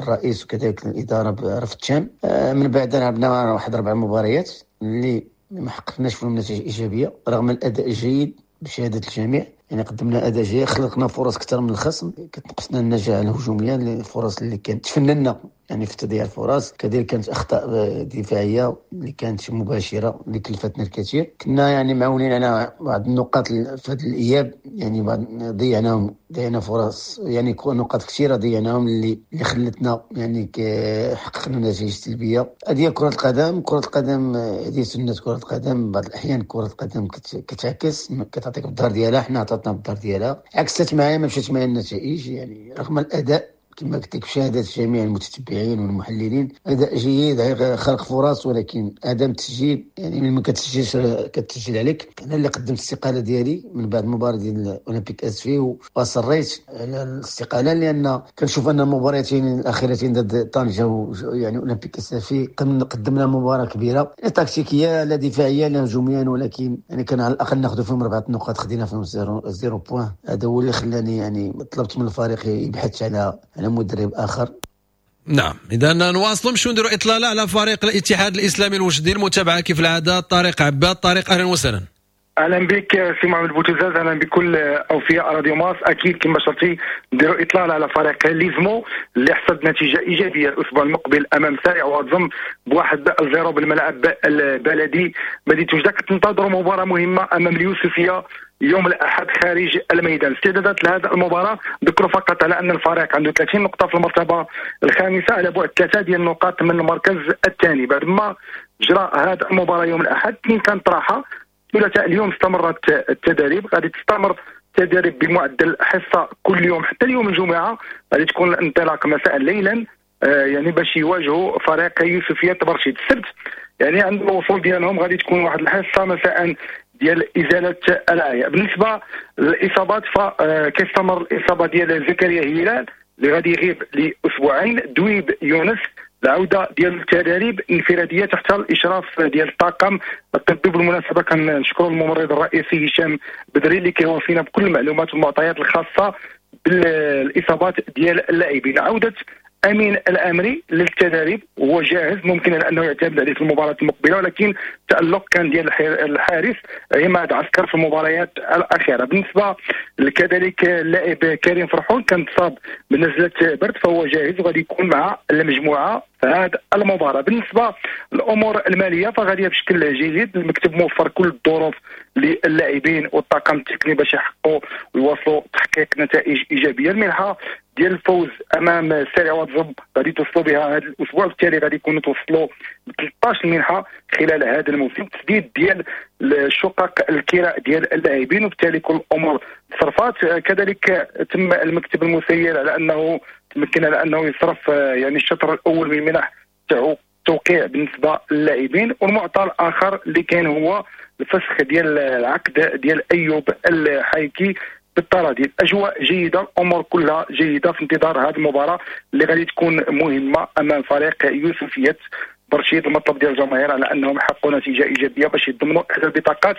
الرئيس وكذلك الادارة برفض تام. من بعد لعبنا واحد 4 مباريات اللي ما حققناش فيهم نتائج ايجابية رغم الاداء الجيد بشهادة الجميع، يعني قدمنا اداء جيد، خلقنا فرص اكثر من الخصم، كتنقصنا النجاعه الهجومية، الفرص اللي كانت تفننا يعني في تضييع الفرص، كذلك كانت اخطاء دفاعية اللي كانت مباشرة اللي كلفتنا الكثير. كنا يعني معولين على بعض النقاط في هذا الاياب، يعني بعض ضيعنا فرص، يعني نقاط كثيرة ضيعناهم اللي خلتنا يعني حققنا نتائج سلبية. هذه كره القدم، كره القدم هذه سنة كره القدم، بعض الاحيان كره القدم كتعكس، كتعطيك بالظهر ديالها، حنا عطاتنا بالظهر ديالها، عكست معايا ما مشات معايا النتائج، يعني رغم الاداء كما قلت لك بشهادة جميع المتتبعين والمحللين، اداء جيد، خلق فرص، ولكن عدم التسجيل، يعني من ما كتسجلش كتسجل عليك. انا اللي قدمت الاستقالة ديالي من بعد المباراة ديال اولمبيك اسفي، واصريت على الاستقالة لان كنشوف ان المباراتين الاخيرتين ضد طنجه يعني اولمبيك اسفي قدمنا مباراة كبيرة، لا تكتيكية لا دفاعية لا هجوميا، ولكن يعني كان على الاقل ناخذ فيهم 4 نقاط، خدينا فيهم 0 point. هذا هو اللي خلاني يعني طلبت من الفريق يبحث على مدرب اخر. نعم، اذا نواصلوا نمشيو نديروا اطلالة على فريق الاتحاد الاسلامي الوجدي، المتابعة كيف العادة طارق عباد. طارق اهلا وسهلا. اهلا بك سي محمد بوتوزاز، اهلا بكل اوفياء راديو مارس. اكيد كما شرتي نديروا اطلالة على فريق ليزمو اللي حصد نتيجة ايجابية الاسبوع المقبل امام سارع واتزم ب1-0 بالملعب البلدي مدينة وجده. كتنتظروا مباراة مهمة امام اليوسفيه يوم الاحد خارج الميدان. استعدادات لهذه المباراة، ذكروا فقط على ان الفريق عنده 30 نقطة في المرتبة الخامسة على بعد 3 ديال النقاط من المركز الثاني. بعد ما جرى هذه المباراة يوم الاحد، اثنين كانت راحة، ثلاثاء اليوم استمرت التدريب، غادي تستمر التدريب بمعدل حصة كل يوم حتى اليوم الجمعة، غادي تكون الانطلاق مساء ليلا يعني باش يواجهوا فريق يوسفيه برشيد. السبت يعني عند الوصول ديالهم غادي تكون واحد الحصة مساء ديال ازالة العياء. بالنسبة للاصابات فكيستمر الاصابة ديال زكريا هلال اللي غادي يغيب لاسبوعين، دويب يونس العودة ديال التدريب انفراديه تحت الاشراف ديال الطاقم الطبي. بالمناسبة كنشكروا الممرض الرئيسي هشام بدري اللي كيوافينا بكل المعلومات والمعطيات الخاصة بالاصابات ديال اللاعبين. عوده امين الامري للتدريب وهو جاهز، ممكن انه يعتمد عليه في المباراة المقبلة، ولكن التالق كان ديال الحارس عماد عسكر في المباريات الاخيرة. بالنسبة كذلك اللاعب كريم فرحون كان تصاب بنزله برد فهو جاهز وغادي يكون مع المجموعة في هذه المباراة. بالنسبة للامور المالية فغاديه بشكل جيد، المكتب موفر كل الظروف للاعبين والطاقم التقني باش يحققوا ويواصلوا تحقيق نتائج ايجابية. المنحة ديال الفوز امام سارع واتزب غادي توصلوا بها هذا الاسبوع، بالتالي غادي يكونوا توصلوا ب 13 منحه خلال هذا الموسم، تسديد ديال الشقق الكراء ديال اللاعبين، وبالتالي كل الامور تصرفات. كذلك تم المكتب المسير على انه تمكن على انه يصرف يعني الشطر الاول من منح تاعو توقيع بالنسبة للاعبين، والمعطى الاخر اللي كاين هو الفسخ ديال العقد ديال ايوب الحايكي بالتراضي. الاجواء جيدة، الامور كلها جيدة في انتظار هذه المباراة اللي غادي تكون مهمة امام فريق يوسفيه برشيد. المطلب ديال الجماهير على انهم يحققوا نتيجة ايجابية باش يضمنوا احدى البطاقات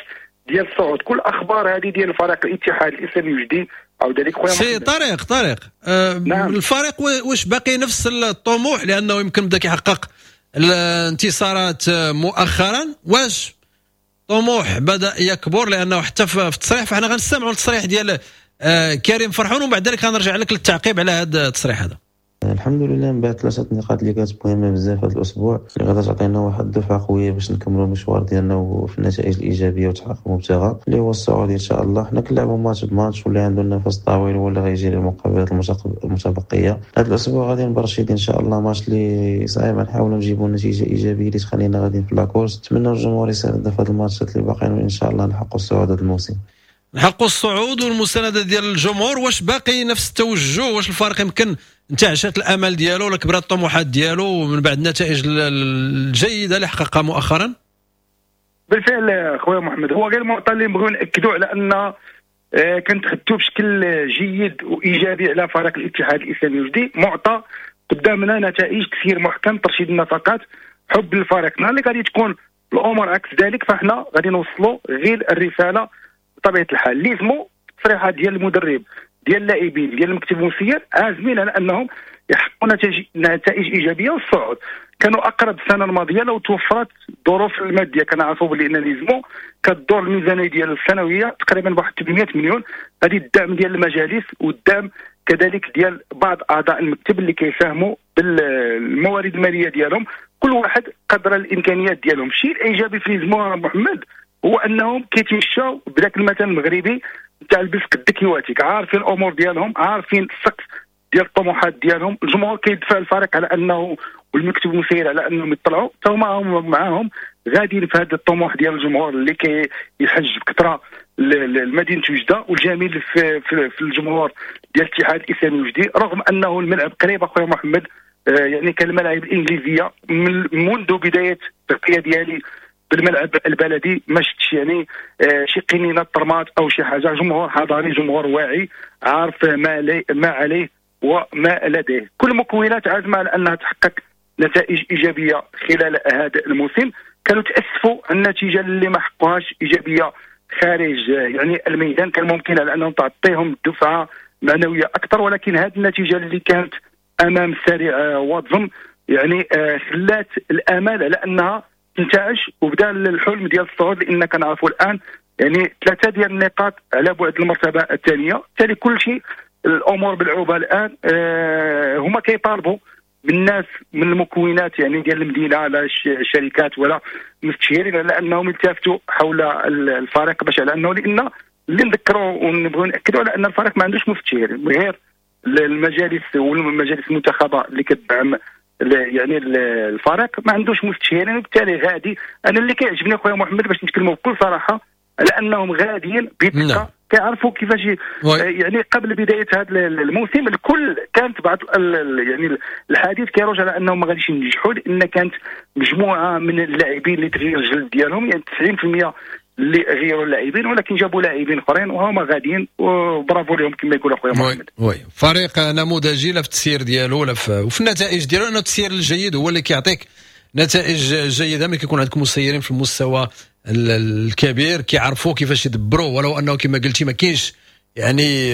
ديال الصعود. كل الاخبار هذه ديال فريق الاتحاد الاسلامي الوجدي او ذلك خويا سي طارق. نعم. الفريق واش باقي نفس الطموح، لانه يمكن بدا كيحقق الانتصارات مؤخرا، واش طموح بدا يكبر؟ لانه حتى في التصريح، فاحنا غنستمعوا للتصريح ديال كريم فرحون ومن بعد ذلك غنرجع لك للتعقيب على هذا التصريح هذا. الحمد لله من بعد 3 نقاط اللي كانت مهمة بزاف هذا الاسبوع، اللي غادا تعطينا واحد الدفعة قوية باش نكملوا المشوار ديالنا وفي النتائج الايجابية وتحقيق المبتغى اللي هو الصعود ان شاء الله. حنا كنلعبوا ماتش بماتش، واللي عنده النفس طويل هو اللي غيجي للمقابلات المتبقية. هذا الاسبوع غادي نبرشيد ان شاء الله ماتش اللي صعيب، نحاولوا نجيبوا نتيجة ايجابية اللي تخلينا غاديين في la course. نتمنى الجمهور يساندنا في هذه الماتشات اللي باقيين، وان شاء الله نحققوا الصعود هذا الموسم. نحققوا الصعود والمسانده ديال الجمهور. واش باقي نفس التوجه؟ واش الفريق يمكن انتعشت الامل ديالو ولا كبرت الطموحات ديالو من بعد النتائج الجيدة اللي حققها مؤخرا؟ بالفعل خويا محمد، هو غير المعطى اللي نبغيو ناكدوا على ان كنتحدثوا بشكل جيد وايجابي على فريق الاتحاد الاسلامي الوجدي. معطى قدامنا نتائج كثير محكم، ترشيد النفقات، حب للفريق. نهار اللي غادي تكون الامور عكس ذلك فاحنا غادي نوصلوا غير الرسالة بطبيعة الحال. ليزمو التصريحات ديال المدرب ديال اللاعبين ديال المكتب المسير عازمين على انهم يحققوا نتائج ايجابية والصعود. كانوا اقرب السنة الماضية لو توفرت الظروف المادية. كنعرفوا بلي ان ليزمو كدور الميزانية ديال السنوية تقريبا بواحد 800 مليون. هذه الدعم ديال المجالس والدعم كذلك ديال بعض اعضاء المكتب اللي كيساهموا بالموارد المالية ديالهم، كل واحد قدر الامكانيات ديالهم. الشيء الايجابي في ليزمو محمد هو انهم كيتمشاو بداك المثل المغربي تاع البس قدك يواتيك، عارفين الامور ديالهم، عارفين السقف ديال الطموحات ديالهم. الجمهور كيدفع الفريق على انه والمكتب المسير على انهم يطلعوا، حتى هما معاهم غاديين في هذا الطموح ديال الجمهور اللي كيحج بكثرة لمدينة وجده. والجميل في الجمهور ديال الاتحاد الاسلامي الوجدي، رغم انه الملعب قريب اخويا محمد، يعني كان الملاعب الانجليزية منذ بداية التغطية ديالي بالملعب البلدي ما شفتش يعني شي قنينه طرمات او شي حاجة. جمهور حضاري، جمهور واعي، عارف ما عليه وما لديه. كل المكونات عازمة على انها تحقق نتائج ايجابية خلال هذا الموسم. كانوا تاسفوا النتيجة اللي ما حققوهاش ايجابية خارج يعني الميدان، كان ممكن على انهم تعطيهم دفعه معنوية اكثر، ولكن هذه النتيجة اللي كانت امام سريع واتزم يعني خلات الامال على انها تنتعش وبدا الحلم ديال الصعود، لان كنعرفوا الان يعني 3 ديال النقاط على بعد المرتبة الثانية. بالتالي كل شيء الامور بالعوبه الان. هما كيطالبوا من الناس من المكونات يعني ديال المدينة، لا الشركات ولا المستشهرين، على انهم يلتفتوا حول الفريق باش على انه، لان اللي نذكروا ونبغيو ناكدوا على ان الفريق ما عندوش مستشهرين غير المجالس والمجالس المنتخبه اللي كتدعم يعني الفريق، ما عندوش مستشهرين. وبالتالي غادي، انا اللي كيعجبني خويا محمد باش نتكلموا بكل صراحة، على انهم غاديين بثقة، كيعرفوا كيفاش يعني قبل بداية هذا الموسم الكل كانت بعض يعني الحديث كيروج على انهم ما غاديش ينجحوا، لان كانت مجموعة من اللاعبين اللي تغير الجلد ديالهم، يعني 90% اللي غيروا اللاعبين، ولكن جابوا لاعبين اخرين وهما غاديين، وبرافو لهم كما يقول اخويا محمد. oui فريق نموذجي لا في التسيير ديالو لا وفي النتائج ديالو، لانه التسيير الجيد هو اللي كيعطيك نتائج جيدة. ملي كيكون عندكم مسيرين في المستوى الكبير كيعرفوا كيفاش يدبروا، ولو انه كما قلتي ما كاينش يعني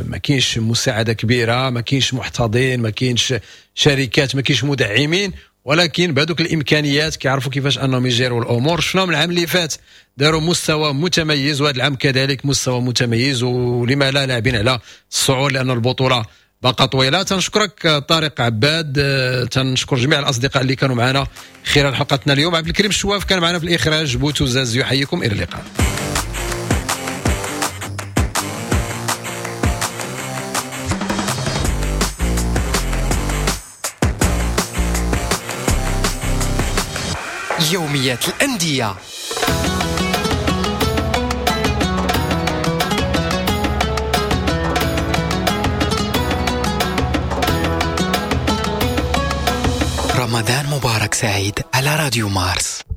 ما كاينش مساعدة كبيرة، ما كاينش محتضين، ما كاينش شركات، ما كاينش مدعمين، ولكن بهذوك الامكانيات كيعرفوا كيفاش انهم يجيروا الامور. شفناهم العام اللي فات داروا مستوى متميز، وهذا العام كذلك مستوى متميز، ولما لا لاعبين على الصعود لان البطولة باقا طويلة. تنشكرك طارق عباد، تنشكر جميع الاصدقاء اللي كانوا معنا خلال حلقتنا اليوم. عبد الكريم الشواف كان معنا في الاخراج، بوتوزاز يحييكم، الى اللقاء. يوميات الأندية. رمضان مبارك سعيد على راديو مارس.